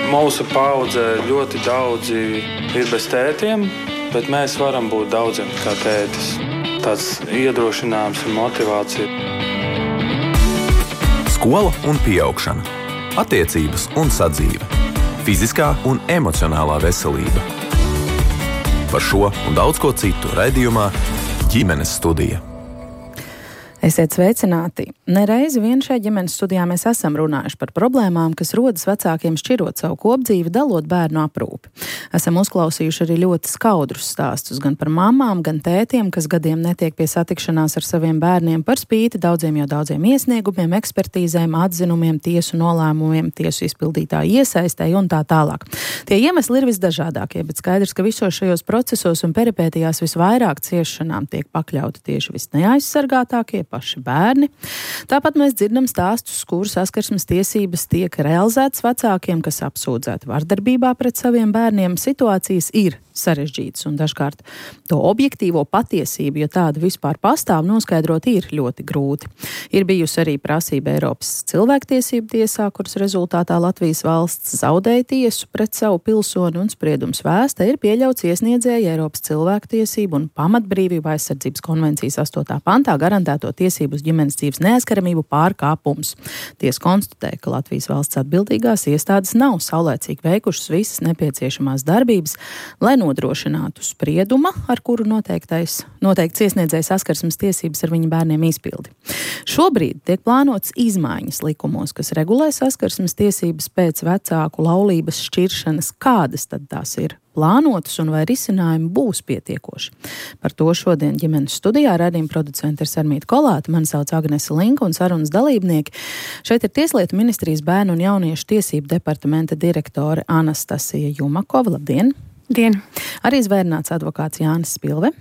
Mūsu paudze ļoti daudzi ir bez tētiem, bet mēs varam būt daudziem kā tētis. Tāds iedrošinājums un motivācija. Skola un pieaugšana, attiecības un sadzīve, fiziskā un emocionālā veselība. Par šo un daudz ko citu raidījumā Ģimenes studija. Esiet sveicināti! Nereizi vien šajā ģimenes studijā mēs esam runājuši par problēmām, kas rodas vecākiem šķirot savu kopdzīvi, dalot bērnu aprūpi. Esam uzklausījuši arī ļoti skaudrus stāstus gan par mamām, gan tētiem, kas gadiem netiek pie satikšanās ar saviem bērniem par spīti daudziem iesniegumiem, ekspertīzēm, atzinumiem, tiesu nolēmumiem, tiesu izpildītāju iesaistēji un tā tālāk. Tie iemesli ir visdažādākie, bet skaidrs, ka visos šajos procesos un peripētijās visvairāk ciešanām tiek pakļauti tieši visneaizsargātākie paši bērni. Tāpat mēs dzirdam stāstus, kur saskarsmes tiesības tiek realizētas vecākiem, kas apsūdzēti vardarbībā pret saviem bērniem. Situācijas ir sarežģītas un dažkārt to objektīvo patiesību, ja tāda vispār pastāv, noskaidrot ir ļoti grūti. Ir bijusi arī prasība Eiropas cilvēktiesību tiesā, kuras rezultātā Latvijas valsts zaudēja tiesu pret savu pilsoni un spriedums vēsta ir pieļauts iesniedzēja Eiropas cilvēktiesību un pamatbrīvību aizsardzības konvencijas 8. pantā garantēto tiesību uz ģimenes dzīves neaizskaramību pārkāpums. Tiesa konstatēja, ka Latvijas valsts atbildīgās iestādes nav saulēcīgi veikušas visas nepieciešamās darbības, lai nodrošinātu sprieduma, ar kuru noteikts iesniedzēja saskarsmes tiesības ar viņa bērniem izpildi. Šobrīd tiek plānots izmaiņas likumos, kas regulē saskarsmes tiesības pēc vecāku laulības šķiršanas. Kādas tad tās ir plānotas un vai risinājumi būs pietiekoši? Par to šodien ģimenes studijā raidījuma producente ir Sarmīta Kolāte, mani sauc Agnese Linka un sarunas dalībnieki. Šeit ir Tieslietu ministrijas bērnu un jauniešu tiesību departamenta direktore Anastasija Jumakova. Labdien! Dien. Arī zvērnāts advokāts Jānis Spilve.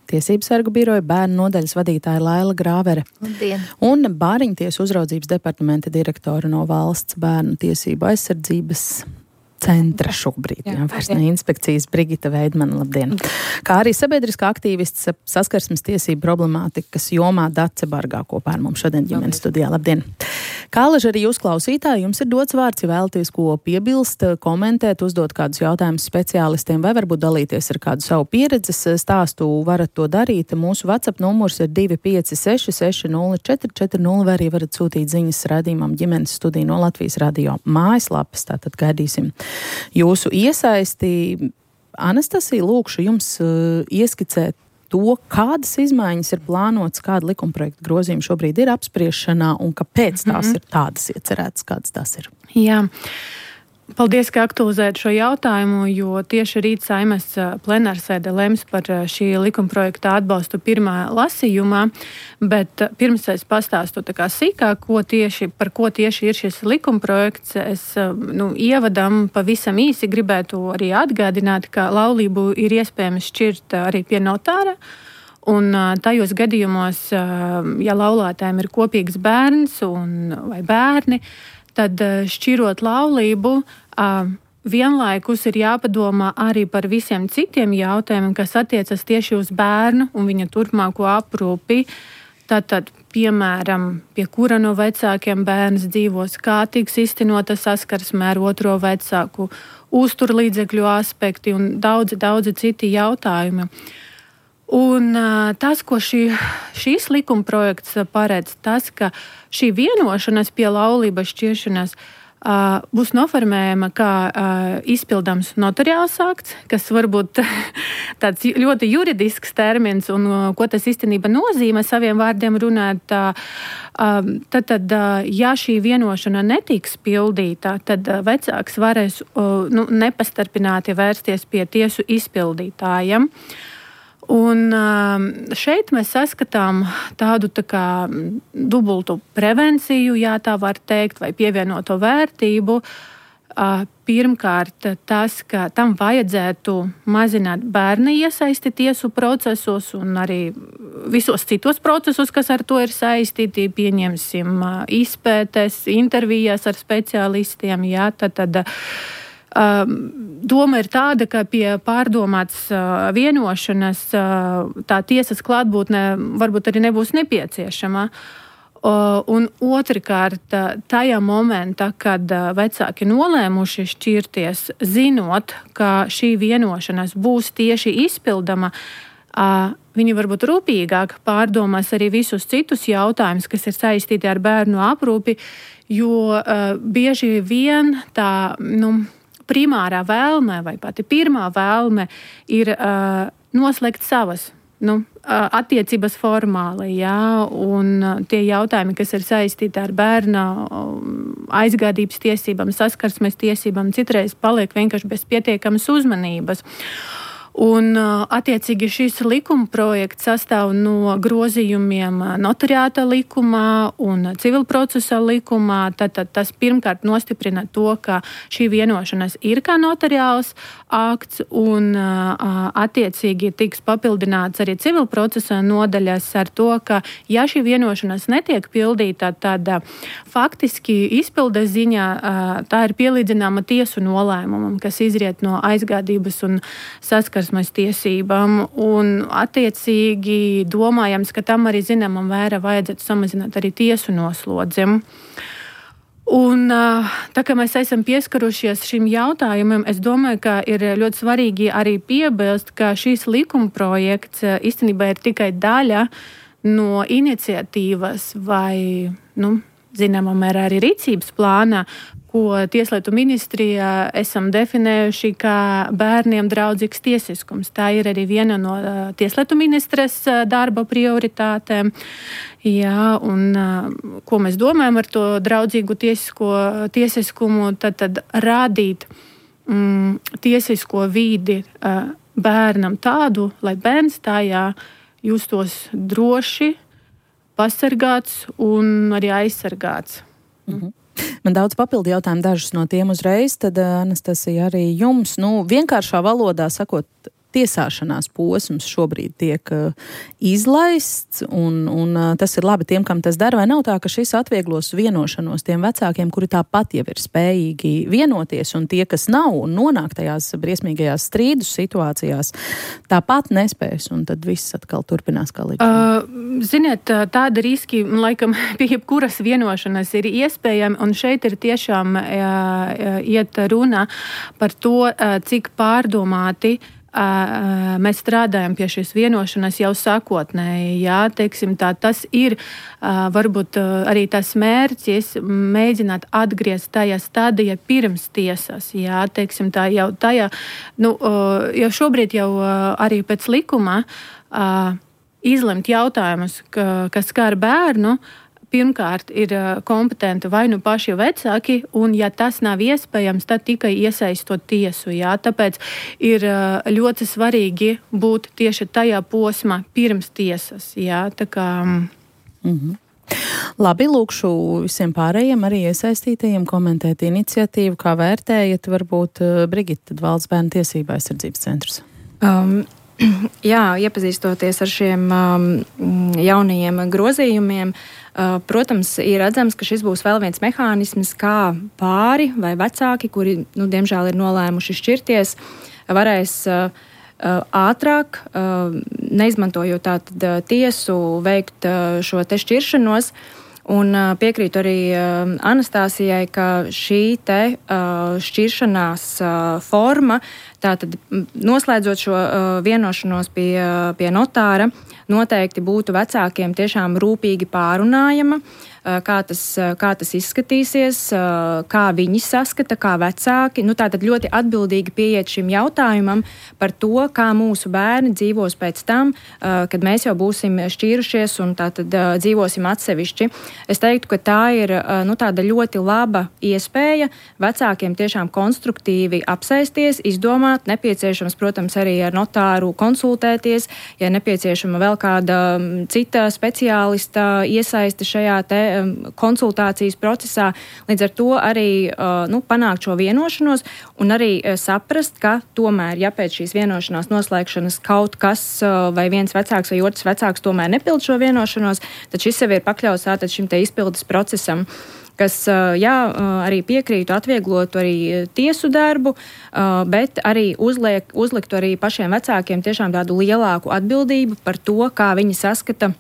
Tiesības sargu biroja bērnu nodaļas vadītāja Laila Grāvere. Labdien. Un Bāriņtiesu uzraudzības departamenta direktore no Valsts bērnu tiesību aizsardzības centra šobrīd, vairs ne inspekcijas Brigita Veidmana. Labdien. Kā arī sabiedriskā aktīvists saskarsmes tiesību problemātikas jomā Dace Bargā kopā ar mums šodien ģimenes studijā. Labdien. Kā laži arī jūs klausītāji, jums ir dots vārds, ja vēlaties ko piebilst, komentēt, uzdot kādus jautājumus speciālistiem vai varbūt dalīties ar kādu savu pieredzes stāstu, varat to darīt. Mūsu WhatsApp numurs ir 256 60 vai arī varat sūtīt ziņas raidījumam ģimenes studija no Latvijas radio mājaslapas, tātad gaidīsim jūsu iesaisti. Anastasija, lūkšu jums ieskicēt to, kādas izmaiņas ir plānotas, kāda likumprojekta grozījuma šobrīd ir apspriešanā un kāpēc tās ir tādas iecerētas, kādas tās ir. Jā. Paldies, ka aktualizējat šo jautājumu, jo tieši rīt Saeimas plenārsēde lems par šī likumprojekta atbalstu pirmā lasījumā, bet pirms es pastāstu tā kā sīkāk, par ko tieši ir šis likumprojekts, es ievadam pavisam īsi gribētu arī atgādināt, ka laulību ir iespējams šķirt arī pie notāra. Un tajos gadījumos, ja laulātājiem ir kopīgs bērns vai bērni, tad šķirot laulību, vienlaikus ir jāpadomā arī par visiem citiem jautājumiem, kas attiecas tieši uz bērnu un viņa turpmāko aprūpi. Tātad, piemēram, pie kura no vecākiem bērns dzīvos, kā tiks iztenota saskarsme ar otro vecāku, uzturlīdzekļu aspekti un daudzi citi jautājumi. Un tas, ko šīs likumprojekts paredz, tas, ka šī vienošanās pie laulības šķiršanas būs noformējama kā izpildāms notariāls akts, kas varbūt tāds ļoti juridisks termins un ko tas īstenībā nozīmē saviem vārdiem runāt. Tad, ja šī vienošana netiks pildīta, tad vecāks varēs nepastarpināti vērsties pie tiesu izpildītājiem. Un šeit mēs saskatām tādu tā kā dubultu prevenciju, ja tā var teikt, vai pievienoto vērtību. Pirmkārt, tas, ka tam vajadzētu mazināt bērna iesaisti tiesu procesos un arī visos citos procesos, kas ar to ir saistīti, pieņemsim izpētes, intervijas ar speciālistiem, jā, tad doma ir tāda, ka pie pārdomātas vienošanas tā tiesas klātbūtne varbūt arī nebūs nepieciešama. Un otrkārt, tajā momentā, kad vecāki nolēmuši šķirties, zinot, ka šī vienošanās būs tieši izpildama, viņi varbūt rūpīgāk pārdomās arī visus citus jautājumus, kas ir saistīti ar bērnu aprūpi, jo bieži vien tā, primārā vēlme vai pati pirmā vēlme ir noslēgt savas attiecības formāli, un tie jautājumi, kas ir saistīti ar bērna aizgādības tiesībām, saskarsmes tiesībām, citreiz paliek vienkārši bez pietiekamas uzmanības. Un, attiecīgi, šis likuma projekts sastāv no grozījumiem notariāta likumā un civilprocesa likumā. Tad tas pirmkārt nostiprina to, ka šī vienošanās ir kā notariāls akts, un attiecīgi tiks papildināts arī civilprocesa nodaļas ar to, ka ja šī vienošanās netiek pildīta, tad faktiski izpildes ziņā tā ir pielīdzināma tiesu nolēmumam, kas izriet no aizgādības un saskarsmes tiesībām, un attiecīgi domājams, ka tam arī zināmam mērā vajadzētu samazināt arī tiesu noslodzi. Un tā kā mēs esam pieskarušies šim jautājumam, es domāju, ka ir ļoti svarīgi arī piebilst, ka šīs likuma projekts īstenībā ir tikai daļa no iniciatīvas vai, zināmā mērā arī rīcības plāna, ko Tieslietu ministrijā esam definējuši kā bērniem draudzīgs tiesiskums. Tā ir arī viena no Tieslietu ministres darba prioritātēm. Jā, un ko mēs domājam ar to draudzīgu tiesiskumu, tad radīt tiesisko vidi bērnam tādu, lai bērns tajā justos droši, pasargāts un arī aizsargāts. Mhm. Man daudz papildu jautājumu, dažus no tiem uzreiz, tad Anastasija arī jums, vienkāršā valodā sakot, tiesāšanās posms šobrīd tiek izlaists, un tas ir labi tiem, kam tas dara, vai nav tā, ka šis atvieglos vienošanos tiem vecākiem, kuri tāpat jau ir spējīgi vienoties, un tie, kas nav un nonāk tajās briesmīgajās strīdus situācijās, tāpat nespēs, un tad viss atkal turpinās kā līdz. Ziniet, tāda riski, laikam, pie jebkuras vienošanas ir iespējami, un šeit ir tiešām iet runa par to, cik pārdomāti mēs strādājam pie šīs vienošanās jau sākotnēji. Jā, teiksim tā, tas ir varbūt arī tas mērķis mēģināt atgriezt tajā stadijā pirms tiesas. Jā, teiksim tā, jau tajā, jau šobrīd jau arī pēc likuma izlemt jautājumus, kas skar bērnu, pirmkārt ir kompetenti vai paši vecāki, un ja tas nav iespējams, tad tikai iesaistot tiesu. Jā. Tāpēc ir ļoti svarīgi būt tieši tajā posmā pirms tiesas. Jā. Tā kā... Labi, lūkšu visiem pārējiem arī iesaistītajiem komentēt iniciatīvu, kā vērtējat, varbūt Brigita, Valsts bērnu tiesību aizsardzības centrs. Jā, iepazīstoties ar šiem jaunajiem grozījumiem, protams, ir redzams, ka šis būs vēl viens mehānisms, kā pāri vai vecāki, kuri, diemžēl ir nolēmuši šķirties, varēs ātrāk, neizmantojot tātad tiesu, veikt šo te šķiršanos. Un piekrītu arī Anastāsijai, ka šī te šķiršanās forma, tātad noslēdzot šo vienošanos pie notāra, noteikti būtu vecākiem tiešām rūpīgi pārunājama, kā tas izskatīsies, kā viņi saskata, kā vecāki. Tātad ļoti atbildīgi pieiet šim jautājumam par to, kā mūsu bērni dzīvos pēc tam, kad mēs jau būsim šķīrušies un tātad dzīvosim atsevišķi. Es teiktu, ka tā ir tāda ļoti laba iespēja vecākiem tiešām konstruktīvi apsēsties, izdomāt, nepieciešams, protams, arī ar notāru konsultēties, ja nepieciešama vēl kāda cita speciālista iesaiste šajā te konsultācijas procesā, līdz ar to arī panākt šo vienošanos un arī saprast, ka tomēr, ja pēc šīs vienošanās noslēgšanas kaut kas vai viens vecāks vai otrs vecāks tomēr nepild šo vienošanos, tad šis sev ir pakļauts tātad šim te izpildes procesam, kas, arī piekrītu atvieglot arī tiesu darbu, bet arī uzliktu arī pašiem vecākiem tiešām tādu lielāku atbildību par to, kā viņi saskata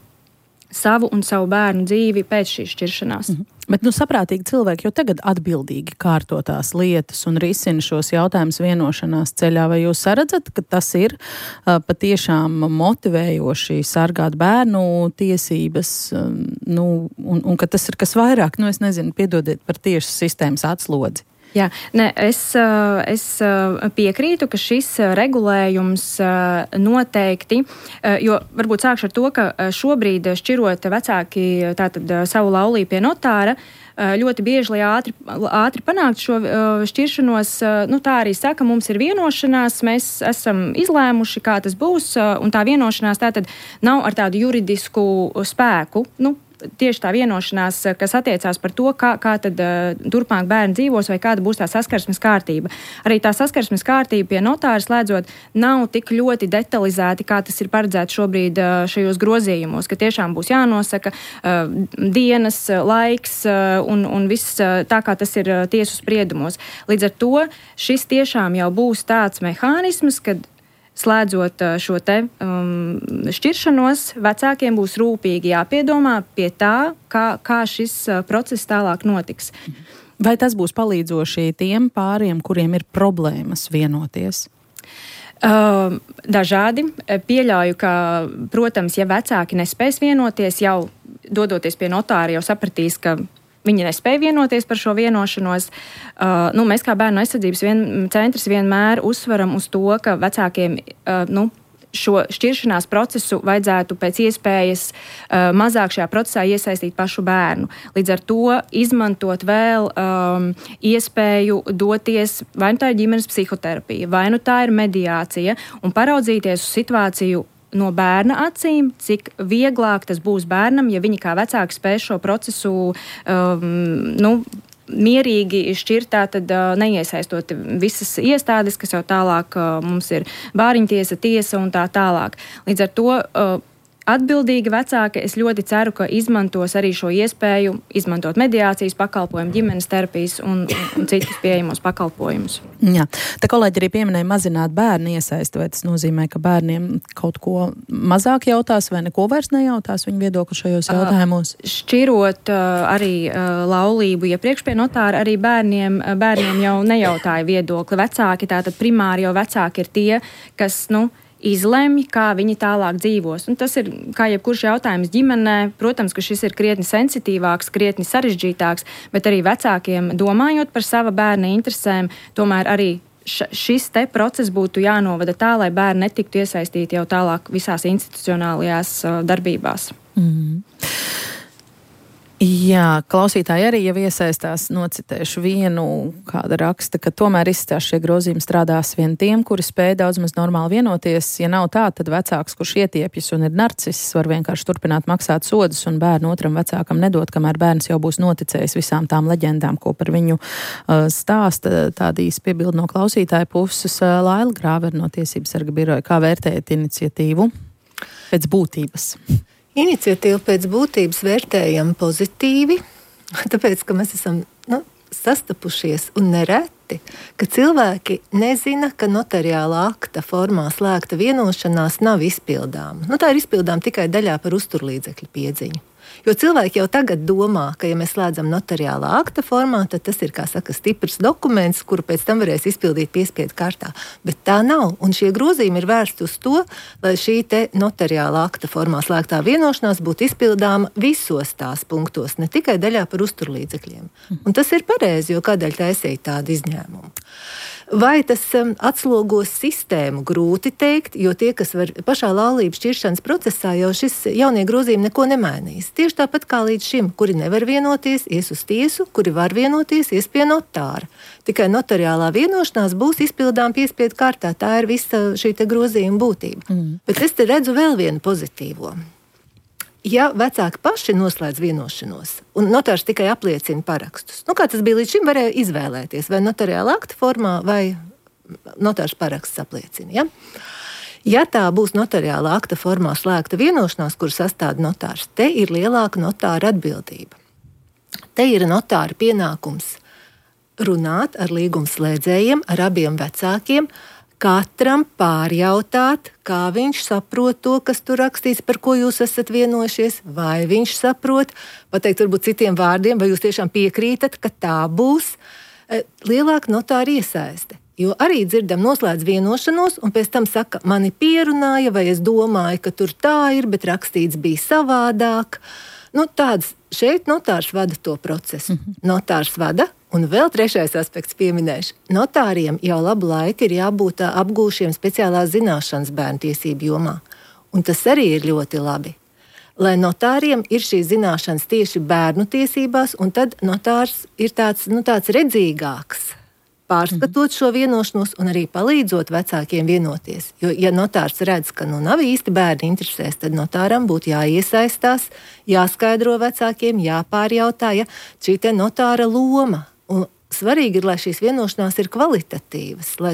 savu un savu bērnu dzīvi pēc šīs šķiršanās. Bet saprātīgi cilvēki jau tagad atbildīgi kārto tās lietas un risina šos jautājumus vienošanās ceļā. Vai jūs redzat, ka tas ir patiešām motivējoši sargāt bērnu tiesības, un ka tas ir kas vairāk, es nezinu, piedodiet par tieši sistēmas atslodzi? Jā, es piekrītu, ka šis regulējums noteikti, jo varbūt sākšu ar to, ka šobrīd šķirot vecāki tātad savu laulību pie notāra, ļoti bieži, lai ātri panākt šo šķiršanos, tā arī saka, mums ir vienošanās, mēs esam izlēmuši, kā tas būs, un tā vienošanās tātad nav ar tādu juridisku spēku, tieši tā vienošanās, kas attiecās par to, kā tad turpmāk bērni dzīvos vai kāda būs tā saskarsmes kārtība. Arī tā saskarsmes kārtība pie notāra slēdzot nav tik ļoti detalizēti, kā tas ir paredzēts šobrīd šajos grozījumos, ka tiešām būs jānosaka dienas, laiks un viss tā, kā tas ir tiesu spriedumos. Līdz ar to šis tiešām jau būs tāds mehānisms, kad slēdzot šo te šķiršanos, vecākiem būs rūpīgi jāpiedomā pie tā, kā šis process tālāk notiks. Vai tas būs palīdzoši tiem pāriem, kuriem ir problēmas vienoties? Dažādi. Pieļauju, ka, protams, ja vecāki nespēs vienoties, jau dodoties pie notāra, jau sapratīs, ka viņi nespēja vienoties par šo vienošanos. Mēs kā bērnu aizsardzības centrs vienmēr uzsveram uz to, ka vecākiem šo šķiršanās procesu vajadzētu pēc iespējas mazāk šajā procesā iesaistīt pašu bērnu. Līdz ar to izmantot vēl iespēju doties, vai nu tā ir ģimenes psihoterapija, vai nu tā ir mediācija, un paraudzīties uz situāciju no bērna acīm, cik vieglāk tas būs bērnam, ja viņi kā vecāki spēj šo procesu mierīgi šķirtā, tad neiesaistot visas iestādes, kas jau tālāk mums ir bāriņtiesa, tiesa un tā tālāk. Līdz ar to atbildīgi vecāki, es ļoti ceru, ka izmantos arī šo iespēju izmantot mediācijas pakalpojumu, ģimenes terapijas un citus pieejamos pakalpojumus. Jā, te kolēģi arī pieminēja mazināt bērnu iesaisti, vai tas nozīmē, ka bērniem kaut ko mazāk jautās vai neko vairs nejautās viņu viedokli šajos jautājumos? Šķirot arī laulību iepriekš pie notāra, arī bērniem jau nejautāja viedokli. Vecāki, tātad primāri jau vecāki ir tie, kas, izlemj, kā viņi tālāk dzīvos. Un tas ir, kā jebkurš jautājums ģimenē, protams, ka šis ir krietni sensitīvāks, krietni sarežģītāks, bet arī vecākiem domājot par sava bērna interesēm, tomēr arī šis te process būtu jānovada tā, lai bērni netiktu iesaistīti jau tālāk visās institucionālajās darbībās. Jā, klausītāji arī jau iesaistās, nocitēšu vienu, kāda raksta, ka tomēr izstās šie grozījumi strādās vien tiem, kuri spēj daudz maz normāli vienoties. Ja nav tā, tad vecāks, kurš ietiepjas un ir narciss, var vienkārši turpināt maksāt sodus un bērnu otram vecākam nedot, kamēr bērns jau būs noticējis visām tām leģendām, ko par viņu stāsta. Tādīs piebildi no klausītāja puses. Laila Grāvera no Tiesības sarga biroja. Kā vērtējat iniciatīvu pēc būtības? Iniciatīvu pēc būtības vērtējam pozitīvi, tāpēc, ka mēs esam sastapušies un nereti, ka cilvēki nezina, ka notariālā akta formā slēgta vienošanās nav izpildāma. Tā ir izpildāma tikai daļā par uzturlīdzekļu piedziņu. Jo cilvēki jau tagad domā, ka, ja mēs slēdzam notariālā akta formā, tad tas ir, kā saka, stiprs dokuments, kuru pēc tam varēs izpildīt piespiedu kārtā. Bet tā nav, un šie grozījumi ir vērsti uz to, lai šī te notariālā akta formā slēgtā vienošanās būtu izpildāma visos tās punktos, ne tikai daļā par uzturlīdzekļiem. Un tas ir pareizi, jo kādēļ taisīt tādu izņēmumu. Vai tas atslogos sistēmu, grūti teikt, jo tie, kas var pašā laulības šķiršanas procesā, jau šis jaunie grozījumi neko nemainīs. Tieši tāpat kā līdz šim, kuri nevar vienoties, ies uz tiesu, kuri var vienoties, ies pie notāra. Tikai notariālā vienošanās būs izpildām piespiedu kārtā. Tā ir visa šī te grozījuma būtība. Bet es te redzu vēl vienu pozitīvo. Ja vecāki paši noslēdz vienošanos un notārs tikai apliecina parakstus, kā tas bija līdz šim, varēja izvēlēties vai notariāla akta formā vai notārs paraksts apliecina. Ja? Ja tā būs notariāla akta formā slēgta vienošanās, kur sastāda notārs, te ir lielāka notāra atbildība. Te ir notāra pienākums runāt ar līgumslēdzējiem, ar abiem vecākiem, katram pārjautāt, kā viņš saprot to, kas tur rakstīts, par ko jūs esat vienojušies, vai viņš saprot, pateikt varbūt citiem vārdiem, vai jūs tiešām piekrītat, ka tā būs. Lielāka notāra iesaiste. Jo arī dzirdam, noslēdz vienošanos, un pēc tam saka, mani pierunāja, vai es domāju, ka tur tā ir, bet rakstīts bija savādāk. Tāds šeit notārs vada to procesu. Notārs vada. Un vēl trešais aspekts pieminēšu. Notāriem jau labu laiku ir jābūt apgūšiem speciālās zināšanas bērnu tiesību jomā. Un tas arī ir ļoti labi. Lai notāriem ir šīs zināšanas tieši bērnu tiesībās, un tad notārs ir tāds redzīgāks, pārskatot šo vienošanos un arī palīdzot vecākiem vienoties. Jo, ja notārs redz, ka nav īsti bērni interesēs, tad notāram būtu jāiesaistās, jāskaidro vecākiem, jāpārjautā, šī te notāra loma. Un svarīgi ir, lai šīs vienošanās ir kvalitatīvas, lai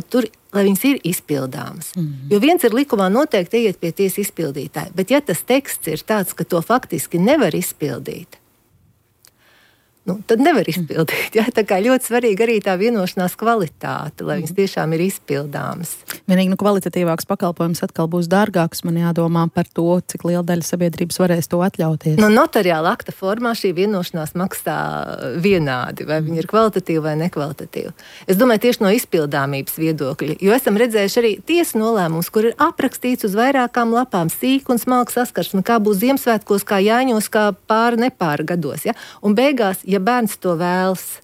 viņas ir izpildāmas. Jo viens ir likumā noteikti iet pie tiesas izpildītāja, bet ja tas teksts ir tāds, ka to faktiski nevar izpildīt, tad nevar izpildīt. Ja? Tā kā ļoti svarīgi arī tā vienošanās kvalitāte, lai viņas tiešām ir izpildāmas. Vienīgi kvalitatīvāks pakalpojums atkal būs dārgāks. Man jādomā par to, cik liela daļa sabiedrības varēs to atļauties. Notariāla akta formā šī vienošanās maksā vienādi, vai viņa ir kvalitatīva vai nekvalitatīva. Es domāju tieši no izpildāmības viedokļa, jo esam redzējuši arī tiesu nolēmumus, kur ir aprakstīts uz vairākām lapām sīk un smalka saskarsme, kā būs Ziemassvētkos, kā Jāņos, kā nepāra gados. Ja? Un beigās, ja bērns to vēlas,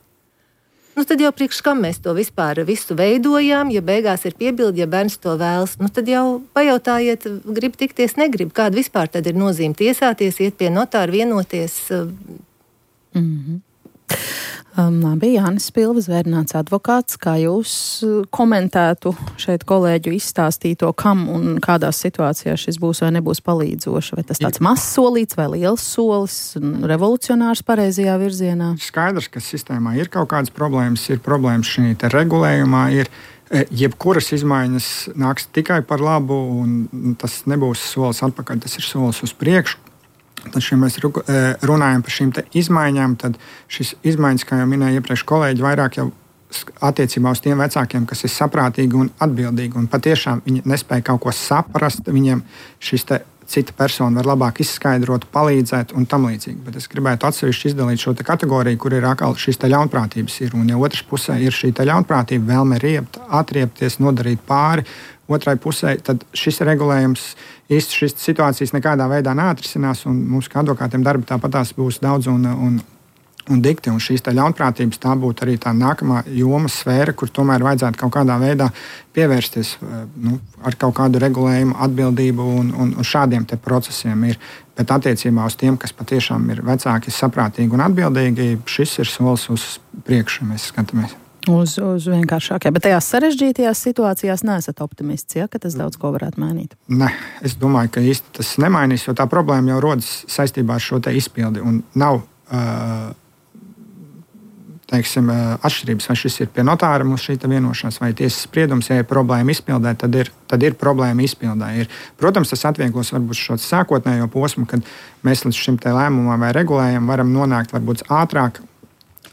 tad jau priekš kam mēs to vispār visu veidojām, ja beigās ir piebildi, ja bērns to vēlas, tad jau pajautājiet, grib tikties, negrib, kāda vispār tad ir nozīme tiesāties, iet pie notāra, vienoties. Labi, Jānis Spilva, zvērināts advokāts, kā jūs komentētu šeit kolēģu izstāstīto, kam un kādās situācijās šis būs vai nebūs palīdzoši? Vai tas tāds mazs solīts vai liels solis, revolucionārs pareizajā virzienā? Skaidrs, ka sistēmā ir kaut kādas problēmas, ir problēmas šī te regulējumā, jebkuras izmaiņas nāks tikai par labu, un tas nebūs solis atpakaļ, tas ir solis uz priekšu. Tad, ja mēs runājam par šīm izmaiņām, tad šis izmaiņas, kā jau minēja iepriekš kolēģi, vairāk jau attiecībā uz tiem vecākiem, kas ir saprātīgi un atbildīgi. Un patiešām viņi nespēja kaut ko saprast, viņiem šis cita persona var labāk izskaidrot, palīdzēt un tam līdzīgi. Bet es gribētu atsevišķi izdalīt šo kategoriju, kur ir atkal šīs ļaunprātības ir. Un ja otrs pusē ir šī ļaunprātība, vēlme riept, atriepties, nodarīt pāri otrai pusē, tad šis regulējums īsti šīs situācijas nekādā veidā neatrisinās, un mums kā advokātiem darba tāpatās būs daudz un dikti, un šīs ļaunprātības tā būtu arī tā nākamā jomas sfēra, kur tomēr vajadzētu kaut kādā veidā pievērsties ar kaut kādu regulējumu, atbildību un šādiem te procesiem ir. Bet attiecībā uz tiem, kas patiešām ir vecāki, saprātīgi un atbildīgi, šis ir solis uz priekšu, mēs skatāmies. Uz vienkāršākajā, bet tajās sarežģītajās situācijās neesat optimists, ka tas daudz ko varētu mainīt? Nē, es domāju, ka īsti tas nemainīs, jo tā problēma jau rodas saistībā ar šo izpildi un nav atšķirības, vai šis ir pie notāra mums šī vienošanās vai tiesas spriedums. Ja ir problēma izpildē, tad ir problēma izpildē. Protams, tas atvieglos varbūt šo sākotnējo posmu, kad mēs līdz šim lēmumam vai regulējumam varam nonākt varbūt ātrāk,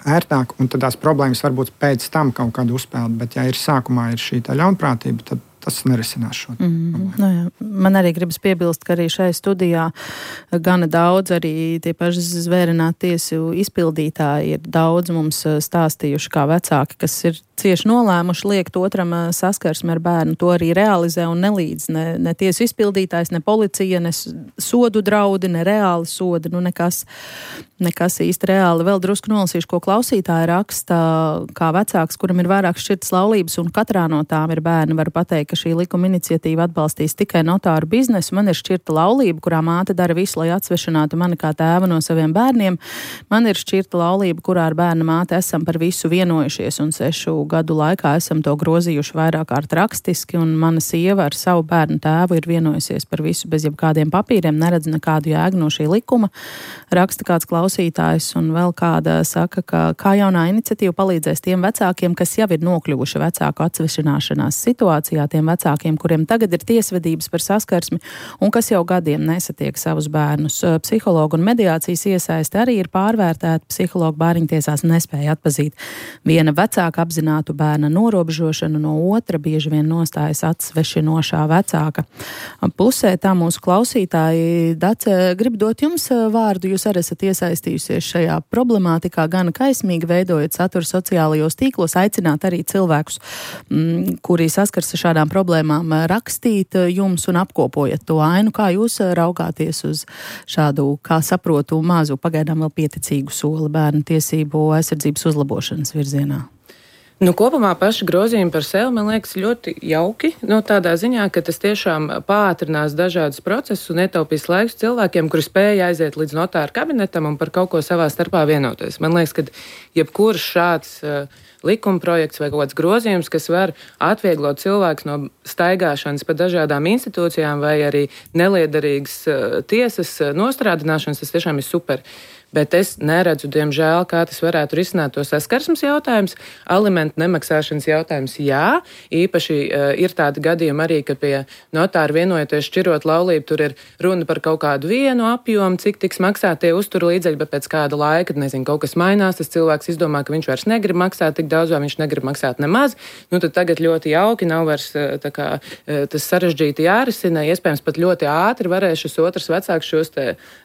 ērtāk, un tad tās problēmas varbūt pēc tam kaut kādu uzpeld. Bet, ja ir sākumā ir šī ļaunprātība, tad tas nerisinās šo problēmu. Man arī gribas piebilst, ka arī šai studijā gana daudz arī tie paši zvērināti tiesu izpildītāji ir daudz mums stāstījuši kā vecāki, kas ir cieši nolēmuši liekt otram saskarsmi ar bērnu. To arī realizē un nelīdz ne tiesu izpildītājs, ne policija, ne sodu draudi, ne reāli sodi, nekas īsti reāli. Vēl drusku nolasīšu, ko klausītāji raksta, kā vecāks, kuram ir vairāk šķirtas laulības, un katrā no tām ir bērni, varu pateikt, ka šī likuma iniciatīva atbalstīs tikai notāru biznesu. Man ir šķirta laulība, kurā māte dara visu, lai atsvešinātu mani kā tēvu no saviem bērniem. Man ir šķirta laulība, kurā ar bērna māte esam par visu vienojušies, un 6 gadu laikā esam to grozījuši vairāk kārt rakstiski, un mana sieva ar savu bērnu tēvu ir vienojusies par visu bez jebkādiem papīriem, neredz nekādu jēgu no šī likuma. Raksta kāds klausītājs, un vēl kāda saka, ka kā jaunā iniciatīva palīdzēs tiem vecākiem, kas jau ir nokļuvuši vecāku atsvešināšanās situācijā, tiem tiem vecākiem, kuriem tagad ir tiesvedības par saskarsmi un kas jau gadiem nesatiek savus bērnus. Psihologu un mediācijas iesaisti arī ir pārvērtēta. Psihologu bāriņtiesās nespēja atpazīt viena vecāka apzinātu bērna norobežošanu no otra, bieži vien nostājas atsvešinošā vecāka pusē. Tā mūsu klausītāji, Dace, grib dot jums vārdu. Jūs arī esat iesaistījusies šajā problemātikā gana kaismīgi, veidojot saturu sociālajos tīklos, aicināt arī cilvēkus, kuri saskars ar šādām problēmām, rakstīt jums un apkopojat to ainu. Kā jūs raugāties uz šādu, kā saprotu, mazu, pagaidām vēl pieticīgu soli bērnu tiesību aizsardzības uzlabošanas virzienā? Kopumā paši grozījumi par sevi, man liekas, ļoti jauki. Tādā ziņā, ka tas tiešām pātrinās dažādus procesus un ietaupīs laikus cilvēkiem, kuri spēja aiziet līdz notāra kabinetam un par kaut ko savā starpā vienoties. Man liekas, ka jebkurš šāds likuma projekts vai kaut kāds grozījums, kas var atvieglot cilvēkus no staigāšanas pa dažādām institūcijām vai arī neliederīgas tiesas nostrādināšanas, tas tiešām ir super. Bet es neredzu, diemžēl, kā tas varētu risināt to saskarsmes jautājums. Alimentu nemaksāšanas jautājums, jā. Īpaši ir tādi gadījumi arī, ka pie notāra vienojoties šķirot laulību, tur ir runa par kaut kādu vienu apjomu, cik tiks maksāt tie uzturu līdzekļi, bet pēc kāda laika, kaut kas mainās, tas cilvēks izdomā, ka viņš vairs negrib maksāt tik daudz, vai viņš negrib maksāt nemaz. Tad tagad ļoti jauki, nav vairs tas sarežģīti jārisina. Iespējams, pat ļoti ātri varēs šis otrs vecāks šos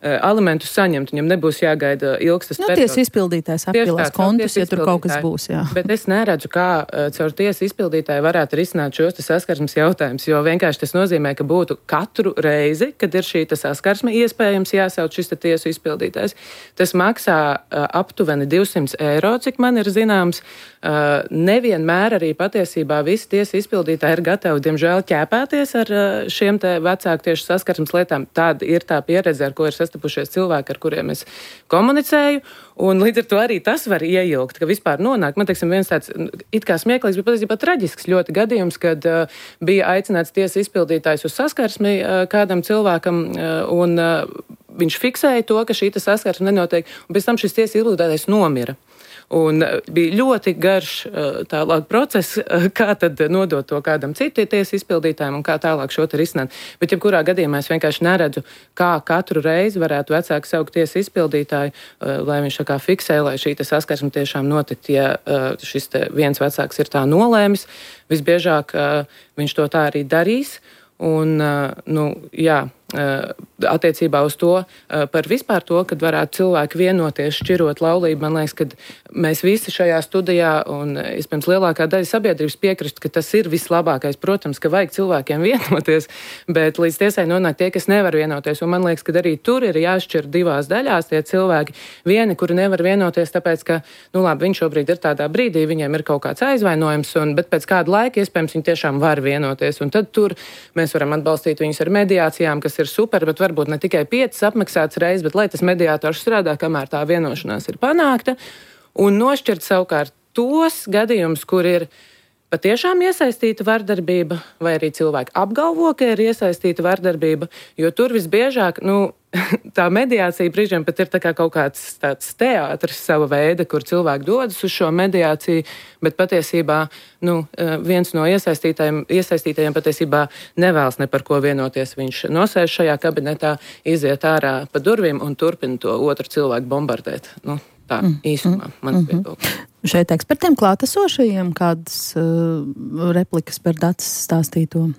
alimentus saņemt. Viņam nebūs jāgaida ilgs tas periods. Tiesa izpildītājs apvilās kontus, ja tur kaut kas būs, jā. Bet es neredzu, kā caur tiesa izpildītāju varētu risināt šos saskarsmes jautājumus, jo vienkārši tas nozīmē, ka būtu katru reizi, kad ir šī saskarsme, iespējams jāsauc šis tiesu izpildītājs. Tas maksā aptuveni 200 eiro, cik man ir zināms. Nevienmēr arī patiesībā visi tiesa izpildītāji ir gatavi, diemžēl, ķēpēties ar šiem te vecāku tieši saskarsmes lietām. Tāda ir tā pieredze, ar ko ir sastapušies cilvēki, ar kuriem es komunicēju, un līdz ar to arī tas var ieilgt, ka vispār nonāk. Man, teiksim, viens tāds it kā smieklīgs, bet patiesībā traģisks ļoti gadījums, kad bija aicināts tiesa izpildītājs uz saskarsmi kādam cilvēkam, un viņš fiksēja to, ka šī saskarsme nenotiek, un pēc tam šis tiesa izpildītājs nomira. Un bija ļoti garš tālāk process, kā tad nodot to kādam citu tiesa izpildītājiem un kā tālāk šo te risināt. Bet jebkurā gadījumā es vienkārši neredzu, kā katru reizi varētu vecāki saukt tiesa izpildītāju, lai viņš tā kā fiksē, lai šī saskarsme tiešām notikt. Ja šis viens vecāks ir tā nolēmis, visbiežāk viņš to tā arī darīs. Un, attiecībā uz to, par vispār to, kad varētu cilvēki vienoties šķirot laulību, man liekas, ka mēs visi šajā studijā un, iespējams, lielākā daļa sabiedrības piekrist, ka tas ir vislabākais. Protams, ka vajag cilvēkiem vienoties, bet līdz tiesai nonāk tie, kas nevar vienoties. Un man liekas, ka arī tur ir jāšķir divās daļās tie cilvēki. Vieni, kuri nevar vienoties, tāpēc, ka, viņš šobrīd ir tādā brīdī, viņiem ir kaut kāds aizvainojums, bet pēc kāda laika, iespējams, viņi tiešām var vienoties. Un tad tur mēs varam atbalstīt viņus ar mediācijām, kas ir super, bet varbūt ne tikai 5 apmaksāts reizes, bet lai tas mediātors strādā, kamēr tā vienošanās ir panākta, un nošķirt savukārt tos gadījumus, kur ir patiešām iesaistīta vardarbība, vai arī cilvēki apgalvo, ka ir iesaistīta vardarbība, jo tur visbiežāk, tā mediācija brīžiem pat ir tā kā kaut kāds tāds teātris sava veida, kur cilvēki dodas uz šo mediāciju, bet patiesībā, viens no iesaistītajiem patiesībā nevēlas ne par ko vienoties. Viņš nosēž šajā kabinetā, iziet ārā pa durvīm un turpina to otru cilvēku bombardēt. Tā īsumā mans viedoklis. Šeit ekspertiem klātesošajiem kādas replikas par Daces stāstīto?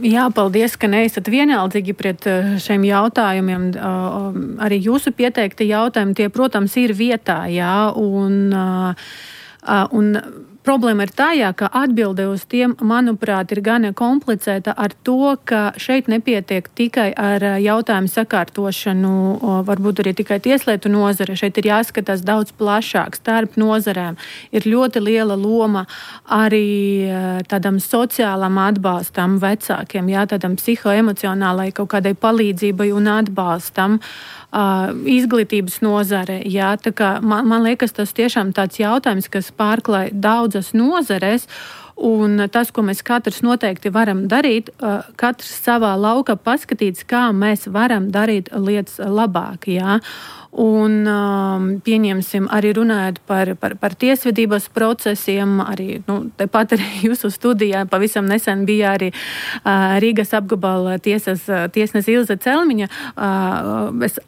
Jā, paldies, ka neesat vienaldzīgi pret šiem jautājumiem. Arī jūsu pieteikti jautājumi, tie, protams, ir vietā, jā, un problēma ir tā, ka atbilde uz tiem, manuprāt, ir gana komplicēta ar to, ka šeit nepietiek tikai ar jautājumu sakārtošanu, varbūt arī tikai tieslietu nozare. Šeit ir jāskatās daudz plašāk starp nozarēm. Ir ļoti liela loma arī tādam sociālam atbalstam vecākiem, jā, tādam psihoemocionālai kaut kādai palīdzībai un atbalstam. Izglītības nozare, jā, tā kā man liekas, tas tiešām tāds jautājums, kas pārklāj daudzas nozares, Un tas, ko mēs katrs noteikti varam darīt, katrs savā laukā paskatīts, kā mēs varam darīt lietas labāk. Jā. Un pieņemsim arī runājot par tiesvedības procesiem, arī, tepat arī jūsu studijā pavisam nesen bija arī Rīgas apgabala tiesnes Ilze Celmiņa, es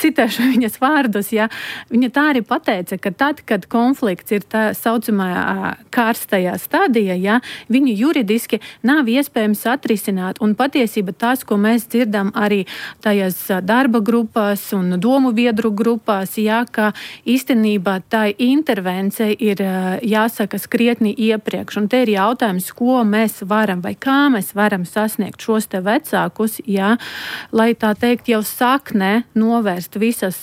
citēšu viņas vārdus, ja, viņa tā arī pateica, ka tad, kad konflikts ir tā saucamā karstajā stadijā, ja, viņu juridiski nav iespējams atrisināt, un patiesība tas, ko mēs dzirdam arī tajās darba grupās un domu biedru grupās, jā, ka īstenībā tā intervencija ir jāsaka skrietni iepriekš. Un te ir jautājums, ko mēs varam vai kā mēs varam sasniegt šos te vecākus, jā, lai tā teikt jau saknē novērst visas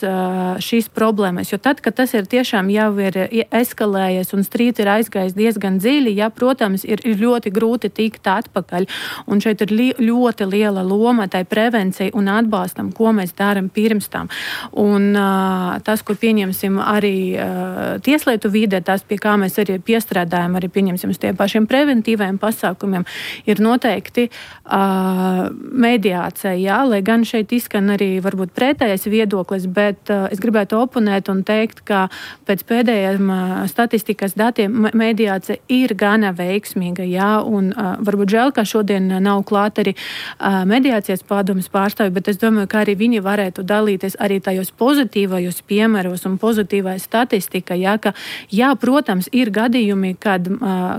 šīs problēmas. Jo tad, kad tas ir tiešām jau ir eskalējies un strīds ir aizgājis diezgan dziļi, jā, protams, ir ļoti grūti tikt atpakaļ. Un šeit ir ļoti liela loma tai prevencijai un atbalstam, ko mēs darām pirms tam. Un tas, ko pieņemsim arī tieslietu vidē, tas, pie kā mēs arī piestrādājam, arī pieņemsim uz tiem pašiem preventīvajiem pasākumiem, ir noteikti mediācija, jā, lai gan šeit izskan arī varbūt pretējais viedoklis, bet es gribētu oponēt un teikt, ka pēc pēdējiem statistikas datiem mediācija ir gana veiksmīga, jā, un varbūt žēl, ka šodien nav klāt arī mediācijas padomes pārstāvi, bet es domāju, ka arī viņi varētu dalīties arī tajos pozitīvajos piemēros un pozitīvai statistika, jā, ka, jā, protams, ir gadījumi, kad